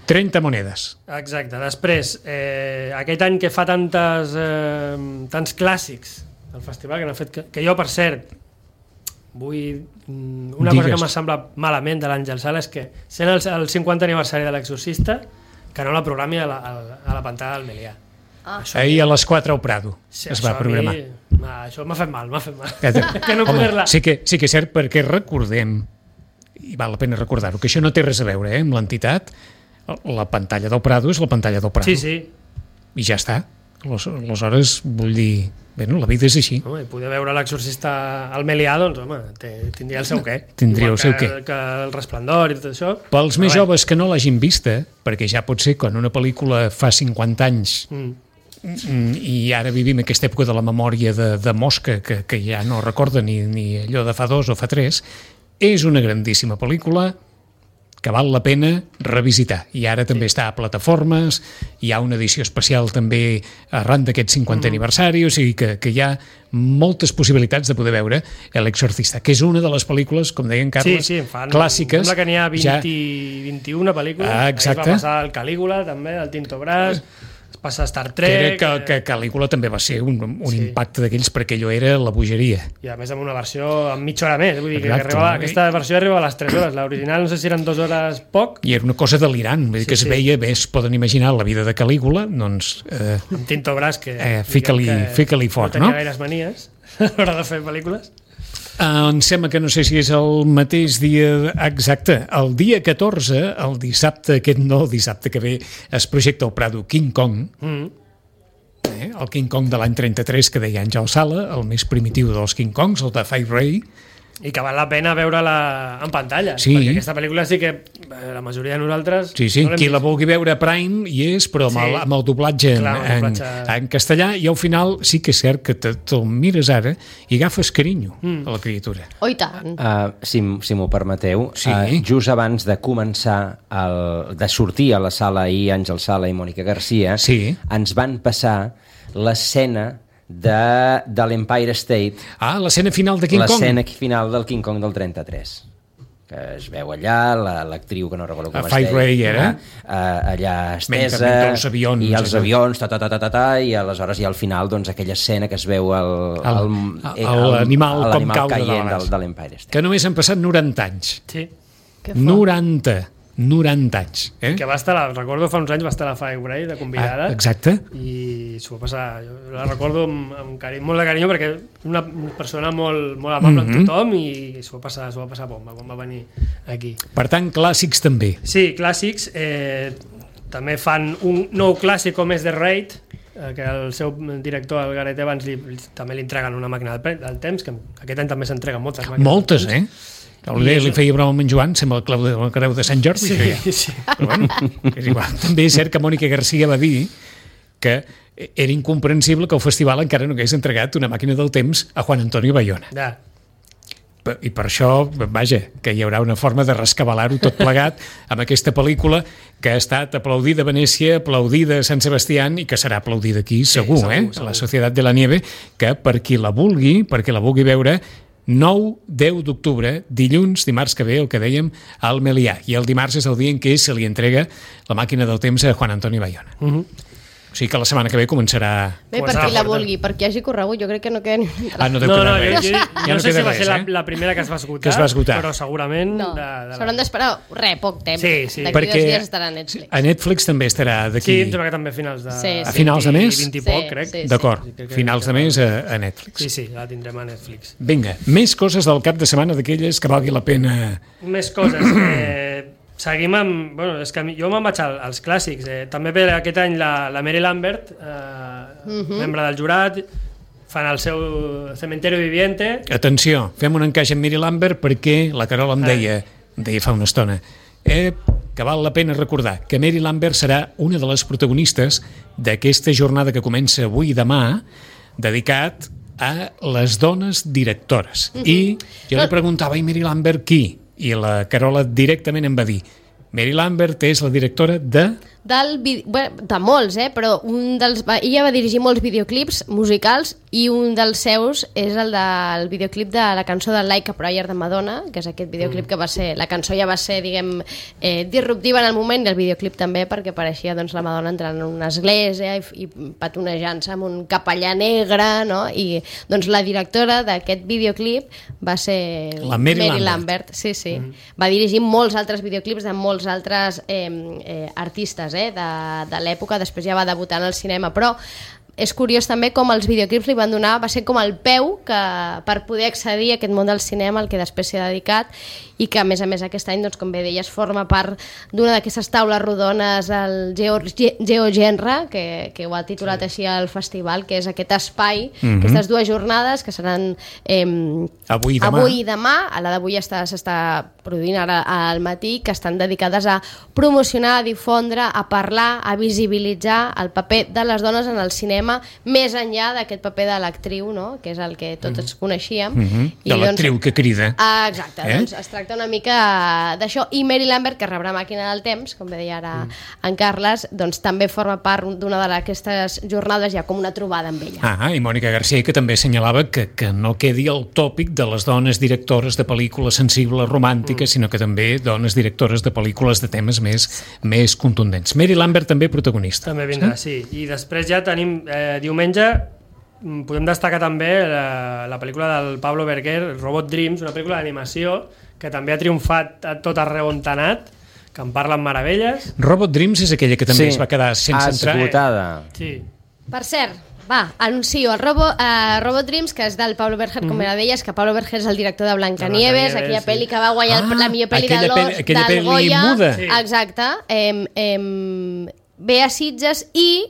trenta monedes. Exacte. Després, eh, aquest any que fa tantes, eh, tants clàssics del festival, que, fet que, que jo, per cert, vull... Una Digues. cosa que m'ha semblat malament de l'Àngel Sala és que, sent el, el cinquanta aniversari de l'Exorcista, que no la programi a la, a la pantalla del Melià. Ah. Ahir a les quatre al Prado Sí, es va programar. Mi, ma, això m'ha fet mal, m'ha fet mal. Que, que no home, poder-la... sí, que, sí que és cert, perquè recordem, i val la pena recordar-ho, que això no té res a veure eh, amb l'entitat. La pantalla del Prado és la pantalla del Prado. Sí, sí. I ja està. Aleshores, vull dir... Bueno, la vida és així. Home, i poder veure l'Exorcista al Melià, doncs, home, tindria el seu què. Tindria el seu que, què. Que el Resplendor i tot això. Pels més joves que no l'hagin vista, perquè ja pot ser quan una pel·lícula fa cinquanta anys mm. i ara vivim aquesta època de la memòria de, de mosca que, que ja no recorda ni, ni allò de fa dos o fa tres, és una grandíssima pel·lícula que val la pena revisitar. I ara també sí. està a plataformes, hi ha una edició especial també arran d'aquest cinquantè mm. aniversari, o sigui que, que hi ha moltes possibilitats de poder veure L'Exorcista, que és una de les pel·lícules, com deien Carles, sí, sí, fan, clàssiques. Sembla que n'hi ha vint, ja... vint-i-una pel·lícules. Ah, exacte. Ahir va passar el Calígula, també, el Tinto Brass, es passa Star Trek... Que, que, que Calígula també va ser un, un sí. impacte d'aquells, perquè allò era la bogeria. I a més amb una versió amb mitja hora més, vull dir Exacte, que arribava, no? aquesta versió arriba a les tres hores, l'original no sé si eren dues hores poc. I era una cosa delirant, vull dir Sí, que es sí. veia, bé, es poden imaginar la vida de Calígula, doncs... Eh, Amb Tinto Brass, que, eh, fica-li fica-li fort, no? no? tenia gaires manies a l'hora de fer pel·lícules. Uh, em sembla que no sé si és el mateix dia exacte, el dia catorze, el dissabte, aquest no, el dissabte que ve, es projecta al Prado King Kong, Mm. eh, el King Kong de l'any trenta-tres que deia Àngel Sala, el més primitiu dels King Kongs, el de Five Ray. I que val la pena veure-la en pantalla, Sí. perquè aquesta pel·lícula sí que eh, la majoria de nosaltres... Sí, sí, no l'hem qui la vist. vulgui veure a Prime hi és, però amb, Sí. el, amb el doblatge, Clar, en, el doblatge. En, en castellà, i al final sí que és cert que te- te'l mires ara i agafes carinyo Mm. a la criatura. Oh, i tant. Uh, si, si m'ho permeteu, Sí. uh, just abans de començar, el, de sortir a la sala ahir, Àngel Sala i Mònica Garcia, Sí. ens van passar l'escena de, de l'Empire State, Ah, l'escena final de King Kong. l'escena final del King Kong del trenta-tres, que es veu allà, la- l'actriu que no recordo com A es Five deia, Ray era? uh, allà estesa, Mentre els avions, i els allò. avions, ta, ta, ta, ta, ta, ta, i aleshores i al final doncs, aquella escena que es veu el, El- eh, l'animal com l'animal cau de caient dalt. del, de l'Empire State. Que només han passat noranta anys. Sí. Que fort. noranta. noranta anys. Eh? Que va estar, la, recordo fa uns anys va estar a la Five Ray de convidada. Ah, exacte. I s'ho va passar, jo la recordo amb, amb carinyo, molt de carinyo perquè és una persona molt, molt amable Mhm. amb tothom i s'ho va passar, s'ho va passar bomba quan va venir aquí. Per tant, clàssics també. Sí, clàssics. Eh, també fan un nou clàssic com és The Raid, eh, que el seu director, el Gareth Evans, li, li, també li entreguen una màquina del, pre- del temps, que aquest any també s'entreguen moltes màquines Moltes, del temps. eh? Li, li feia broma amb en Joan, sembla el clau de la creu de Sant Jordi. Sí, ja. sí. Però bueno, és igual. També és cert que Mònica Garcia va dir que era incomprensible que el festival encara no hagués entregat una màquina del temps a Juan Antonio Bayona. Ja. I per això, vaja, que hi haurà una forma de rescabalar-ho tot plegat amb aquesta pel·lícula que ha estat aplaudida a Venècia, aplaudida a Sant Sebastián i que serà aplaudida aquí, Sí, segur, segur, eh? segur. La Societat de la Nieve, que per qui la vulgui, perquè la vulgui veure, nou deu d'octubre, dilluns, dimarts que ve, el que dèiem, al Melià. I el dimarts és el dia en què se li entrega la màquina del temps a Juan Antonio Bayona. Uh -huh. O sigui que la setmana que ve començarà... Bé, per qui la vulgui, per qui hagi corregut, jo crec que no queda ni una Ah, no deu No, quedar no, res. jo, jo, Ja jo no sé queda si va res, ser la, eh? la primera que es va esgotar, Que es va esgotar. però segurament... No, de, de s'hauran d'esperar, res, poc temps. Sí, sí. D'aquí dos Perquè dies estarà a Netflix. a Netflix també estarà d'aquí... Sí, em sembla que també a finals de... Sí, sí. A finals de mes? vint i Sí, poc, crec. sí, sí. D'acord, Sí, crec que finals de tindrem- mes a, a Netflix. Sí, sí, la tindrem a Netflix. Vinga, més coses del cap de setmana d'aquelles que valgui la pena... Més coses. Eh, seguim amb... Bueno, és que a mi, jo me'n vaig al, als clàssics. Eh. També ve aquest any la, la Mary Lambert, eh, uh -huh. membre del jurat, fan el seu Cementerio Viviente. Atenció, fem un encaix amb Mary Lambert perquè la Carola em deia, em deia fa una estona, eh, que val la pena recordar que Mary Lambert serà una de les protagonistes d'aquesta jornada que comença avui i demà, dedicat a les dones directores. Uh -huh. I jo li preguntava, i Mary Lambert qui? I la Carola directament em va dir, Mary Lambert és la directora de... Del, vi- bueno, de molts, eh? Però un dels, va, ella va dirigir molts videoclips musicals i un dels seus és el del videoclip de la cançó de Like a Prayer de Madonna, que és aquest videoclip que va ser, la cançó ja va ser, diguem, eh, disruptiva en el moment, i el videoclip també, perquè pareixia doncs, la Madonna entrant en una església i, i petonejant-se amb un capellà negre, no? I doncs la directora d'aquest videoclip va ser La Mary Lambert. Lambert. Sí, sí. Mm. Va dirigir molts altres videoclips de molts altres eh, eh, artistes eh, de, de l'època, després ja va debutar en el cinema, però és curiós també com els videoclips li van donar, va ser com el peu que, per poder accedir a aquest món del cinema al que després s'hi ha dedicat, i que a més a més aquest any, doncs, com bé deies, forma part d'una d'aquestes taules rodones, el Geo, Geo Genre, que, que ho ha titulat sí. així al festival, que és aquest espai, mm-hmm. aquestes dues jornades que seran eh, Avui i demà. avui i demà, a la d'avui s'està produint ara al matí, que estan dedicades a promocionar, a difondre, a parlar, a visibilitzar el paper de les dones en el cinema, més enllà d'aquest paper de l'actriu, no? Que és el que tots mm-hmm. coneixíem. Mm-hmm. I, De l'actriu que crida. Ah, exacte, Eh? doncs es tracta una mica d'això. I Mary Lambert, que rebrà Màquina del Temps, com bé deia ara mm. en Carles, doncs també forma part d'una d'aquestes jornades, ja com una trobada amb ella. Ah, i Mònica Garcia, que també assenyalava que, que no quedi el tòpic de les dones directores de pel·lícules sensibles, romàntiques, mm. sinó que també dones directores de pel·lícules de temes més, més contundents. Mary Lambert també protagonista. També vindrà, sí. I després ja tenim eh, diumenge, podem destacar també la, la pel·lícula del Pablo Berger, Robot Dreams, una pel·lícula d'animació que també ha triomfat a tot arreu on ha anat, que en parlen meravelles. Robot Dreams és aquella que també Sí, es va quedar sense entrar. esgotada. Sí. Per cert, va, anuncio el Robo, uh, Robot Dreams, que és del Pablo Berger, com era deies, que Pablo Berger és el director de Blancanieves, Blancanieves, aquella sí. pel·li que va guanyar Ah, la millor pel·li de aquella l'Os, pel·li- aquella del pel·li Goya. muda. Sí. Exacte. Em, em, ve a Sitges i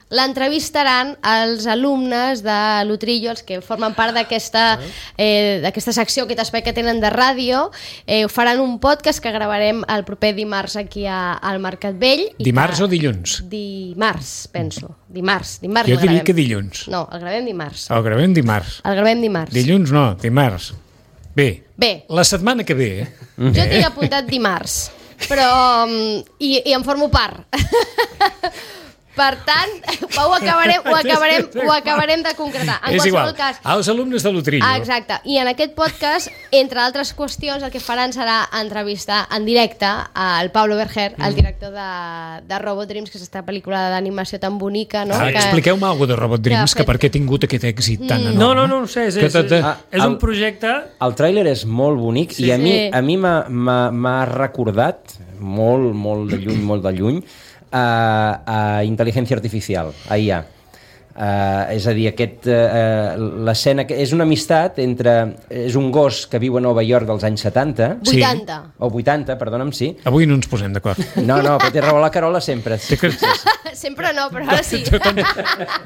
l'entrevistaran els alumnes de l'Utrillo, els que formen part d'aquesta eh, d'aquesta secció, aquest espai que tenen de ràdio. Eh, faran un podcast que gravarem el proper dimarts aquí a, al Mercat Vell. i Dimarts que... o dilluns? Dimarts, penso. Dimarts. dimarts Jo el diria gravem. que dilluns. No, el gravem dimarts. El gravem dimarts. El gravem dimarts. Dilluns no, dimarts. Bé, Bé. la setmana que ve... Eh? Jo tinc apuntat dimarts, però... mm, I, i en formo part. Per tant, ho acabarem, ho acabarem, ho acabarem de concretar. En És qualsevol igual, cas... als alumnes de l'Utrillo. Ah, exacte. I en aquest podcast, entre altres qüestions, el que faran serà entrevistar en directe al Pablo Berger, el director de, de Robot Dreams, que és aquesta pel·lícula d'animació tan bonica, no? Ah, que... expliqueu-me alguna cosa de Robot Dreams, que ha que per què ha tingut aquest èxit tan enorme. No, no, no ho sé, és, Que és, tot- és, Ah, és el- un projecte... El tràiler és molt bonic Sí. i a mi, Sí. a mi m'ha- m'ha m'ha recordat molt, molt de lluny, molt de lluny, a, a Intel·ligència Artificial, a I A. Uh, és a dir, aquest, uh, l'escena que és una amistat entre... És un gos que viu a Nova York dels anys setanta, Sí. vuitanta. o vuitanta, perdona'm, sí. Avui no ens posem d'acord. No, no, però té raó la Carola sempre. Té que... Sempre no, però ara sí.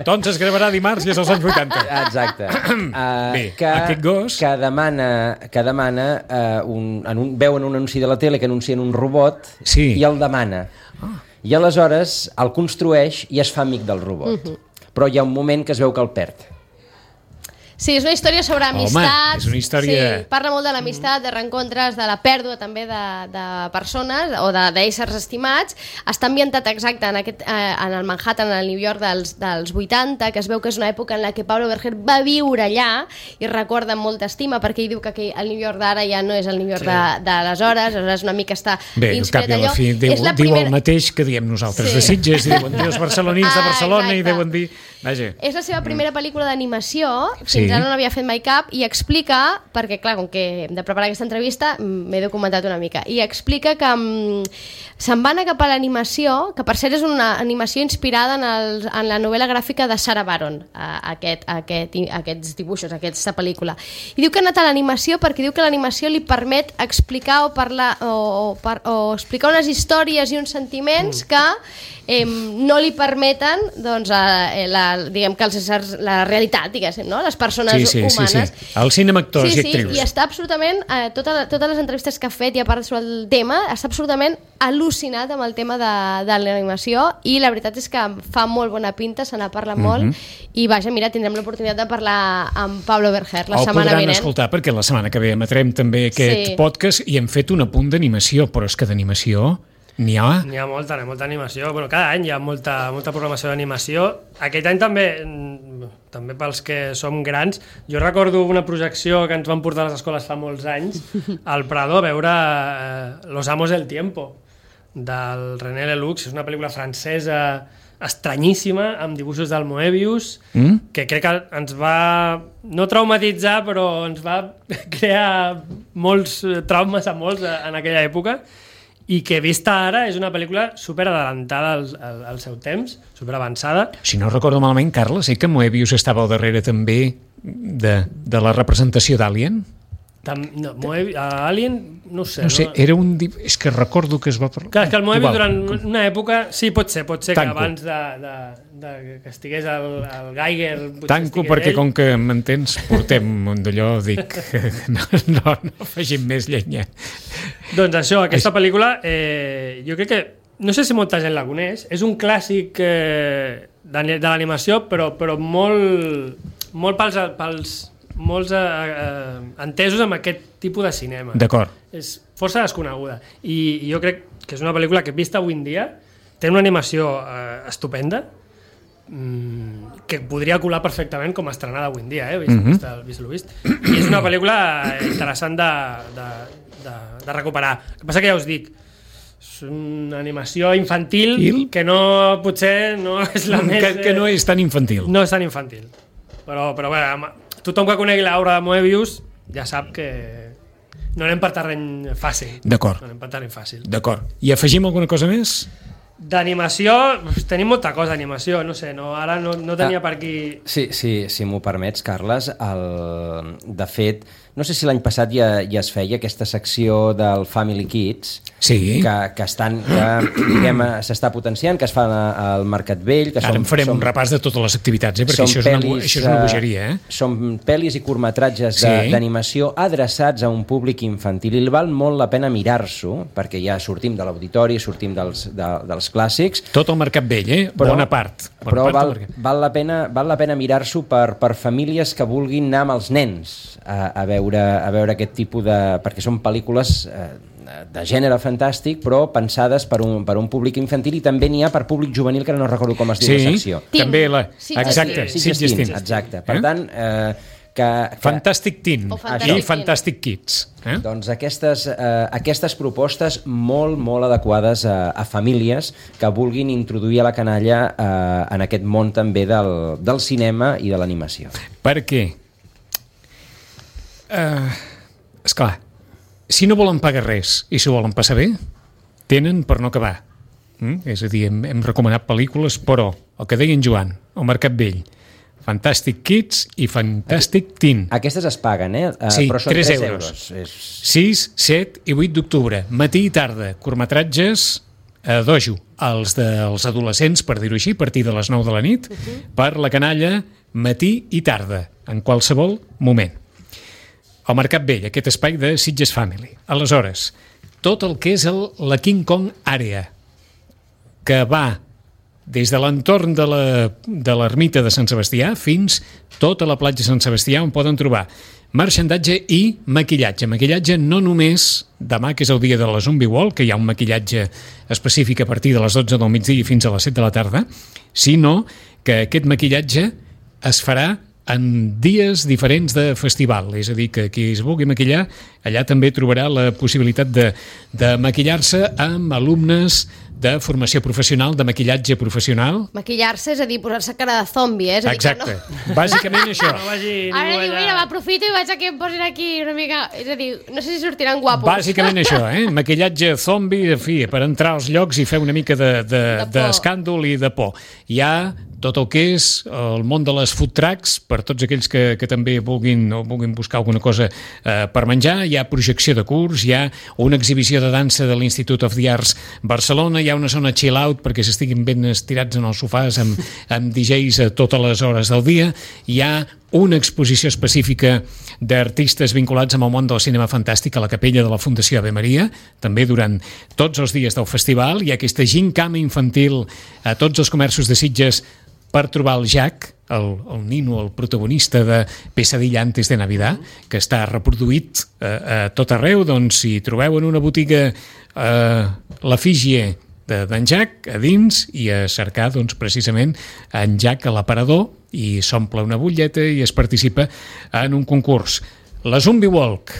Doncs es gravarà dimarts i és als anys vuitanta. Exacte. Uh, Bé, que, aquest gos... Que demana, que demana uh, un, en un, veuen un anunci de la tele que anuncien un robot sí. i el demana. Oh. I aleshores el construeix i es fa amic del robot. Uh-huh. Però hi ha un moment que es veu que el perd. Sí, és una història sobre amistats. Home, és una història... Sí, parla molt de l'amistat, de reencontres, de la pèrdua també de, de persones o d'éssers estimats. Està ambientat exacte en, aquest, eh, en el Manhattan, en el New York dels, dels vuitanta, que es veu que és una època en la que Pablo Berger va viure allà i recorda amb molta estima, perquè ell diu que el New York d'ara ja no és el New York sí. d'aleshores, aleshores una mica està Bé, inspirat allò. Bé, al cap i a la fi diu, diu primera... el mateix que diem nosaltres sí. de Sitges, i diuen dir els barcelonins ah, de Barcelona exacte. I deuen dir... Vaja. És la seva primera pel·lícula d'animació, fins sí. ara no n'havia fet mai cap, i explica, perquè clar, com que hem de preparar aquesta entrevista, m'he documentat una mica, i explica que um, se'n va anar cap a l'animació, que per cert és una animació inspirada en, el, en la novel·la gràfica de Sarah Baron, aquest, aquest, aquests dibuixos, aquesta pel·lícula. I diu que ha anat a l'animació perquè diu que l'animació li permet explicar o parlar o, o, per, o explicar unes històries i uns sentiments que eh, no li permeten doncs, eh, la, diguem que els éssers, la realitat, diguéssim, no? Les persones sí, sí, humanes. Sí, sí. El cinema, actors sí, i actrius. Sí, i està absolutament, eh, tota, totes les entrevistes que ha fet i a part sobre el tema, està absolutament al·lucinat amb el tema de, de l'animació i la veritat és que fa molt bona pinta, se n'ha parlat molt mm-hmm. i vaja, mira, tindrem l'oportunitat de parlar amb Pablo Berger la el setmana vinent. El podran escoltar perquè la setmana que ve emetrem també aquest sí. podcast i hem fet un apunt d'animació, però és que d'animació n'hi ha... N'hi ha molta, n'hi ha molta animació. Bueno, cada any hi ha molta, molta programació d'animació. Aquest any també, també pels que som grans, jo recordo una projecció que ens van portar a les escoles fa molts anys al Prado a veure eh, Los Amos del Tiempo, del René Lelouch. És una pel·lícula francesa estranyíssima, amb dibuixos del Moebius, mm? que crec que ens va, no traumatitzar, però ens va crear molts traumes a molts en aquella època, i que vista ara és una pel·lícula super adelantada al, al, al seu temps, super avançada. Si no recordo malament, Carles, sé que Moebius estava al darrere també de, de la representació d'Alien? Tam, no, Moebius, Alien, no sé. No sé, no? Era un... És que recordo que es va... Clar, que el Moebius durant una època... Sí, pot ser, pot ser Tanco. Que abans de, de, de que estigués el, el Geiger... Tanco perquè ell. Com que m'entens portem d'allò, dic... No, no, no afegim més llenya. Doncs això, aquesta pel·lícula, eh, jo crec que... No sé si molta gent la coneix. És un clàssic eh, de, de l'animació, però, però molt, molt pels... pels molts eh, eh, entesos amb aquest tipus de cinema. D'acord. És força desconeguda. I, I jo crec que és una pel·lícula que vista avui en dia té una animació eh, estupenda mmm, que podria colar perfectament com a estrenada avui en dia, eh? Vist, mm-hmm. vist, el, vist el vist. I és una pel·lícula interessant de, de, de, de recuperar. El que passa que ja us dic, és una animació infantil Il? que no, potser no és la que, més... Eh, que no és tan infantil. No és tan infantil. Però, però bé, tothom que conegui l'obra de Moebius ja sap que no anem per terreny fàcil. D'acord. No anem per terreny fàcil. D'acord. I afegim alguna cosa més? D'animació, tenim molta cosa d'animació, no sé, no, ara no, no tenia ah, per aquí... Sí, sí, si m'ho permets, Carles, el, de fet, no sé si l'any passat ja, ja es feia aquesta secció del Family Kids, sí. que, que estan, que, diguem, s'està potenciant, que es fa al Mercat Vell... Que ara som, en farem som, un repàs de totes les activitats, eh? Perquè això és, pel·lis, una, això és una bogeria. Eh? Són pel·lis i curtmetratges sí. d'animació adreçats a un públic infantil, i val molt la pena mirar-s'ho, perquè ja sortim de l'auditori, sortim dels, de, dels clàssics... Tot el Mercat Vell, eh? Però, bona part. Bona però part val, val la pena, val la pena mirar-s'ho per, per famílies que vulguin anar amb els nens a, a, veure, a veure aquest tipus de... perquè són pel·lícules eh, de gènere fantàstic, però pensades per un, per un públic infantil, i també n'hi ha per públic juvenil, que no recordo com es diu sí, la secció. Sí, també la... Exacte, sí, sí, sí, exacte. Per eh? tant... Eh, Que, que... Fantastic Teen i Fantastic Kids. Eh? Doncs aquestes, eh, aquestes propostes molt, molt adequades a, a famílies que vulguin introduir a la canalla eh, en aquest món també del, del cinema i de l'animació. Per què? Uh, esclar, si no volen pagar res i s'ho volen passar bé, tenen per no acabar. Mm? És a dir, hem, hem recomanat pel·lícules, però el que deia en Joan, el Mercat Vell, Fantastic Kids i Fantastic Teen. Aquestes es paguen, eh? Uh, sí, però són tres tres euros. euros. És... sis, set i vuit d'octubre, matí i tarda. Curtmetratges a dojo, els dels adolescents, per dir-ho així, a partir de les nou de la nit, uh-huh. per la canalla, matí i tarda, en qualsevol moment. Al Mercat Vell, aquest espai de Sitges Family. Aleshores, tot el que és el, la King Kong Area, que va des de l'entorn de l'ermita de Sant Sebastià fins tota la platja de Sant Sebastià, on poden trobar marxandatge i maquillatge. Maquillatge no només demà, que és el dia de la Zombie Wall, que hi ha un maquillatge específic a partir de les dotze del migdia fins a les set de la tarda, sinó que aquest maquillatge es farà en dies diferents de festival, és a dir, que qui es vulgui maquillar allà també trobarà la possibilitat de, de maquillar-se amb alumnes de formació professional, de maquillatge professional. Maquillar-se, és a dir, posar-se cara de zombi, eh? És a dir, exacte, no... bàsicament això. No vagi Ara diu, mira, m'aprofito i vaig a que em posin aquí una mica... És a dir, no sé si sortiran guapos. Bàsicament això, eh? Maquillatge zombi, en fi, per entrar als llocs i fer una mica d'escàndol de, de, de i de por. Hi ha tot el que és el món de les food trucks, per tots aquells que, que també vulguin, o vulguin buscar alguna cosa eh, per menjar. Hi ha projecció de curs, hi ha una exhibició de dansa de l'Institute of the Arts Barcelona, hi ha una zona chill out perquè s'estiguin ben estirats en els sofàs amb, amb D Js a totes les hores del dia, hi ha una exposició específica d'artistes vinculats amb el món del cinema fantàstic a la capella de la Fundació Ave Maria, també durant tots els dies del festival. Hi ha aquesta gincama infantil a tots els comerços de Sitges per trobar el Jack, el, el nino, el protagonista de Pesadilla antes de Navidad, que està reproduït eh, a tot arreu. Doncs si trobeu en una botiga eh, l'efígie d'en Jack a dins i a cercar doncs, precisament en Jack a l'aparador, i s'omple una butlleta i es participa en un concurs. La Zombie Walk,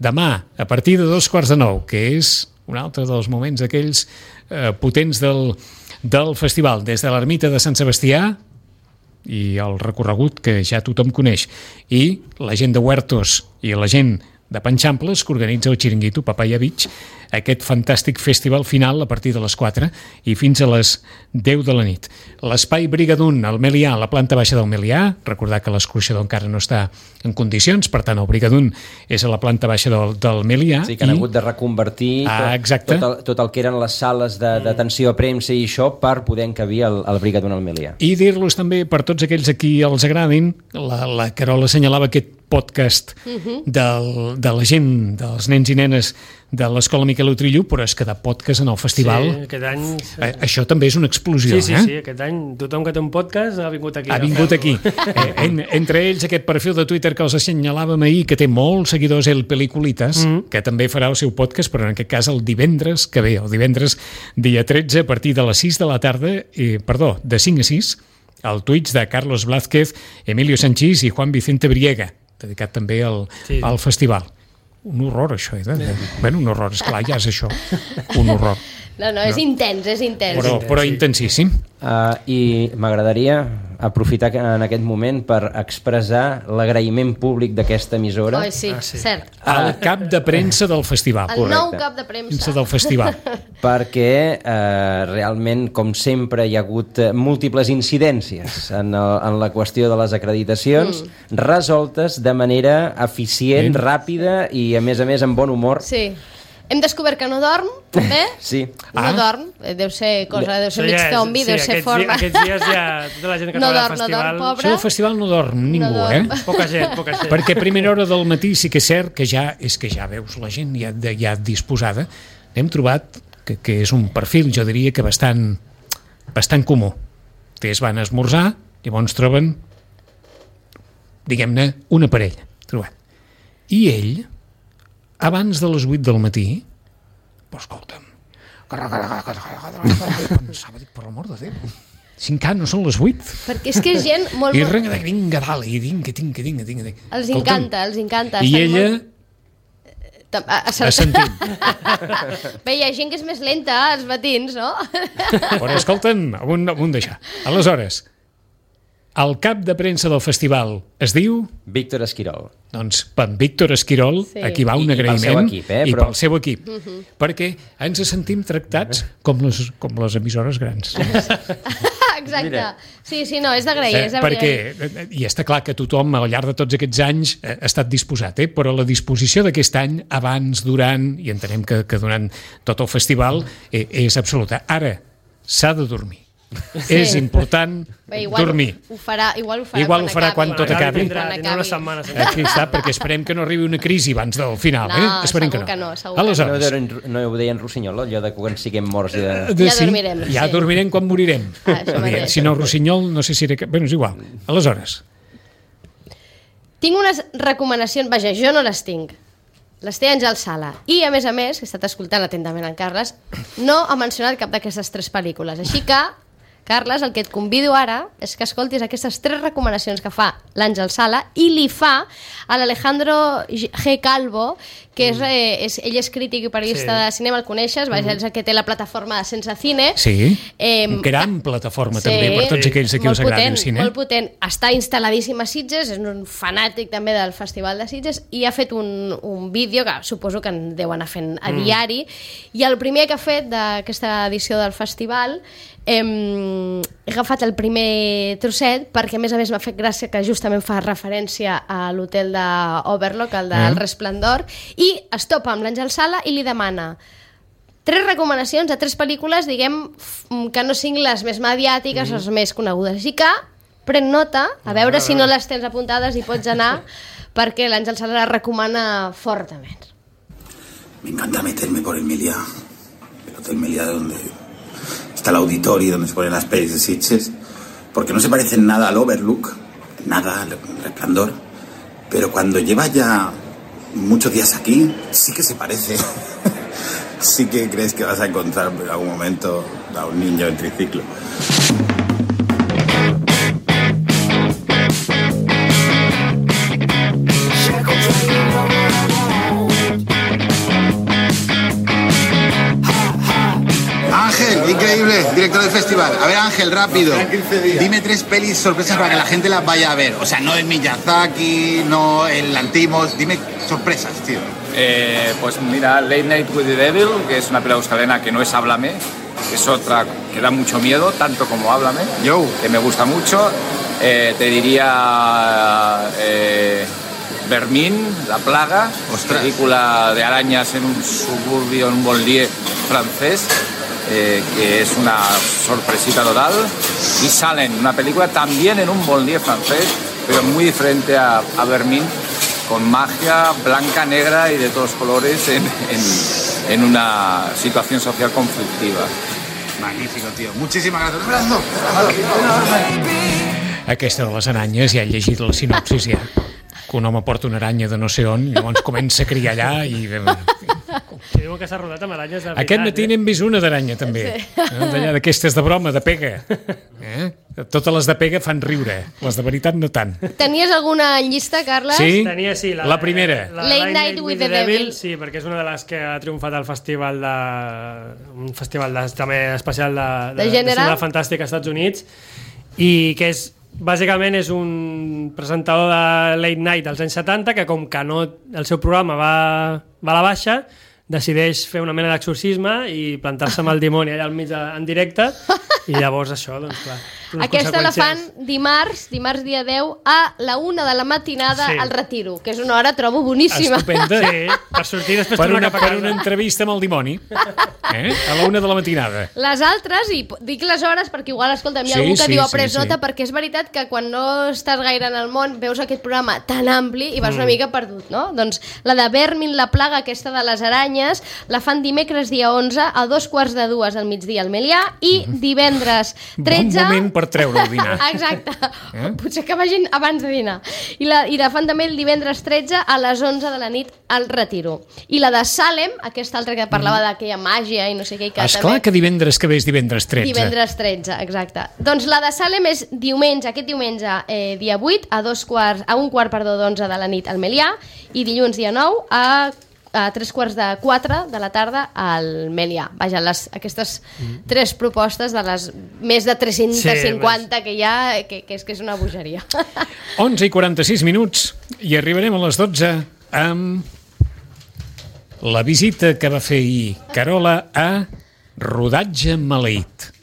demà a partir de dos quarts de nou, que és un altre dels moments aquells eh, potents del del festival, des de l'ermita de Sant Sebastià i el recorregut que ja tothom coneix, i la gent de Huertos i la gent de Panxamples que organitza el Chiringuito Papaya Beach, aquest fantàstic festival final a partir de les quatre i fins a les deu de la nit. L'espai Brigadun, al Melià, la planta baixa del Melià, recordar que l'escorxador encara no està en condicions, per tant el Brigadun és a la planta baixa del, del Melià. Sí, que han i... hagut de reconvertir ah, tot, tot, el, tot el que eren les sales d'atenció a premsa i això per poder encabir el, el Brigadun al Melià. I dir-los també, per tots aquells a qui els agradin, la, la Carol assenyalava aquest podcast uh-huh. del, de la gent, dels nens i nenes de l'Escola Miquel Utrillo, però és que de podcast en el festival... Sí, aquest any... Eh, això també és una explosió, sí, sí, eh? Sí, sí, aquest any tothom que té un podcast ha vingut aquí. Ha vingut aquí. Eh, en, entre ells aquest perfil de Twitter que els assenyalàvem ahir, que té molts seguidors, el Peliculitas, mm-hmm. que també farà el seu podcast, però en aquest cas el divendres que ve, el divendres dia tretze, a partir de les sis de la tarda, eh, perdó, de cinc a sis, al Twitch de Carlos Blázquez, Emilio Sanchís i Juan Vicente Briega, dedicat també al, sí. al festival. Un horror, això, eh? De... Bueno, un horror, esclar, ja és això. Un horror. No, no, és no. intens, és intens. Però, però intensíssim. Uh, I m'agradaria aprofitar en aquest moment per expressar l'agraïment públic d'aquesta emissora. Oh, sí, ah, sí, cert. Al cap de premsa del festival. El Correcte. nou cap de premsa. del festival. Perquè eh, realment, com sempre, hi ha hagut múltiples incidències en, el, en la qüestió de les acreditacions, mm. resoltes de manera eficient, mm. ràpida i, a més a més, amb bon humor. Sí. Hem descobert que no dorm, també. Sí. No ah. dorm, deu ser cosa, deu ser mig zombi, sí, deu ser forma. Aquests dies ja tota la gent que no troba dorm, al festival... No dorm, pobre. Això del festival no dorm ningú, no dorm. eh? Poca gent, poca gent. Perquè a primera hora del matí sí que és cert que ja, és que ja veus la gent ja, ja disposada. Hem trobat que, que és un perfil, jo diria que bastant, bastant comú. Ells van a esmorzar, llavors troben, diguem-ne, una parella. Trobat. I ell... abans de les vuit del matí, però escolta'm, pensava, dic, per l'amor de Déu, si encara no són les vuit. Perquè és que és gent molt... I renga, vinga, dalt, i vinga, tinga, tinga, tinga. Els encanta, els encanta. I ella... Molt... assentint. Bé, hi ha gent que és més lenta als matins, no? Però escolta'm, amunt, amunt d'això. Aleshores, el cap de premsa del festival es diu... Víctor Esquirol. Doncs per Víctor Esquirol, sí. Aquí va un I, agraïment. I pel seu equip, eh? I Però... pel seu equip. Uh -huh. Perquè ens sentim tractats com les, com les emissores grans. Exacte. Mira. Sí, sí, no, és d'agrair. Eh, És d'agrair. perquè, i està clar que tothom al llarg de tots aquests anys eh, ha estat disposat, eh? Però la disposició d'aquest any, abans, durant, i entenem que, que durant tot el festival, eh, és absoluta. Ara, s'ha de dormir. Sí. És important Bé, igual dormir. Ho farà, igual ho farà, Igual quan, ho farà acabi. quan tot acabi. Tindrà, tindrà una setmana. Aquí està, perquè esperem que no arribi una crisi abans del final. No, eh? Esperem segur que que no. no, segur que No, Aleshores, deien, no ho deien Rossinyol, allò de quan siguem morts i de... de- Ja dormirem, Ja sí. dormirem quan morirem. Ah, això mateix. Si no, Rossinyol, no sé si era... Bé, és igual. Aleshores, Tinc unes recomanacions, vaja, jo no les tinc. Les té Àngel Sala. I, a més a més, he estat escoltant atentament en Carles, no ha mencionat cap d'aquestes tres pel·lícules. Així que, Carles, el que et convido ara és que escoltis aquestes tres recomanacions que fa l'Àngel Sala i li fa a l'Alejandro G. Calvo, que és, eh, és, ell és crític i periodista Sí. de cinema, el coneixes, mm. és el que té la plataforma de Sense Cine. sí, Eh, gran plataforma sí, també per tots aquells a qui molt us agrada potent, el cine. Molt potent. Està instal·ladíssim a Sitges, és un fanàtic també del Festival de Sitges i ha fet un, un vídeo que suposo que en deu anar fent a Mm. diari, i el primer que ha fet d'aquesta edició del festival Hem, he agafat el primer trosset perquè a més a més m'ha fet gràcia que justament fa referència a l'hotel d'Overlook, el del Mm. Resplendor, i es topa amb l'Àngel Sala i li demana tres recomanacions de tres pel·lícules, diguem, f- que no siguin les més mediàtiques, mm. les més conegudes. Així que pren nota, a veure si no les tens apuntades i pots anar, perquè l'Àngel Sala les recomana fortament. Me encanta meterme por el Meliá, el Hotel Meliá donde está el auditorio donde se ponen las pelis de Sitges, porque no se parecen nada al Overlook, nada al Resplandor, pero cuando llevas ya muchos días aquí, sí que se parece. Sí que crees que vas a encontrar en algún momento a un niño en triciclo. Ángel, increíble, director del festival. A ver, Ángel, rápido. Dime tres pelis sorpresas para que la gente las vaya a ver. O sea, no el Miyazaki, no el Lantimos. Dime sorpresas, tío. Eh, pues mira, Late Night with the Devil, que es una película australiana que no es Háblame, que es otra que da mucho miedo, tanto como Háblame, Yo. que me gusta mucho. Eh, te diría eh, Vermin, La Plaga, Ostras. película de arañas en un suburbio, en un banlieue francés, eh, que es una sorpresita total. Y Salem, una película también en un banlieue francés, pero muy diferente a, a Vermin, con magia blanca, negra y de todos colores en, en, en una situación social conflictiva. Magnífico, tío. Muchísimas gracias. Un abrazo. Aquesta de les aranyes, ja he llegit la sinopsis, ja. Que un home porta una aranya de no sé on, i llavors comença a criar allà i... Que diuen que s'ha rodat amb aranyes de veritat. Aquest matí n'hem vist una d'aranya, també. Sí. Eh? D'allà, d'aquestes de broma, de pega. Eh? Totes les de pega fan riure, les de veritat no tant. Tenies alguna llista, Carles? Sí? Tenia, sí, La primera. La, Late Night with the Devil. Sí, perquè és una de les que ha triomfat al festival de... un festival de, també especial de, de, De gènere. de cinema fantàstic als Estats Units, i que és bàsicament és un presentador de Late Night dels anys setanta que, com que no, el seu programa va, va a la baixa, decideix fer una mena d'exorcisme i plantar-se amb el dimoni allà al mig de, en directe, i llavors això, doncs clar, unes Aquesta la fan conseqüències. dimarts, dimarts dia deu, a la una de la matinada Sí. al Retiro, que és una hora, trobo, boníssima. Estupenda. Sí, per sortir després Per tornar una, cap a per casa. una entrevista amb el dimoni. Eh? A la una de la matinada. Les altres, i p- dic les hores perquè igual, escolta, hi ha Sí, algú que sí, diu a sí, pres sí. nota, perquè és veritat que quan no estàs gaire en el món veus aquest programa tan ampli i vas una mica perdut, no? Doncs la de Vermin, La Plaga, aquesta de les aranyes, la fan dimecres dia onze a dos quarts de dues al migdia al Melià i divendres tretze... Bon moment per treure el dinar. Exacte. Eh? Potser que vagin abans de dinar. I la, I la fan també el divendres tretze a les onze de la nit al Retiro. I la de Salem, aquesta altra que parlava d'aquella màgia i no sé què... Que Esclar que divendres que ve és divendres tretze. Divendres tretze, exacte. Doncs la de Salem és diumenge, aquest diumenge, eh, dia vuit, a, dos quarts, a un quart perdó, d'onze de la nit al Melià, i dilluns dia nou a, a tres quarts de quatre de la tarda al Melià. Vaja, les, aquestes tres propostes de les més de tres-cents cinquanta que hi ha, que, que, és, que és una bogeria. onze i quaranta-sis minuts i arribarem a les dotze amb la visita que va fer ahir Carola a Rodatge Maleït.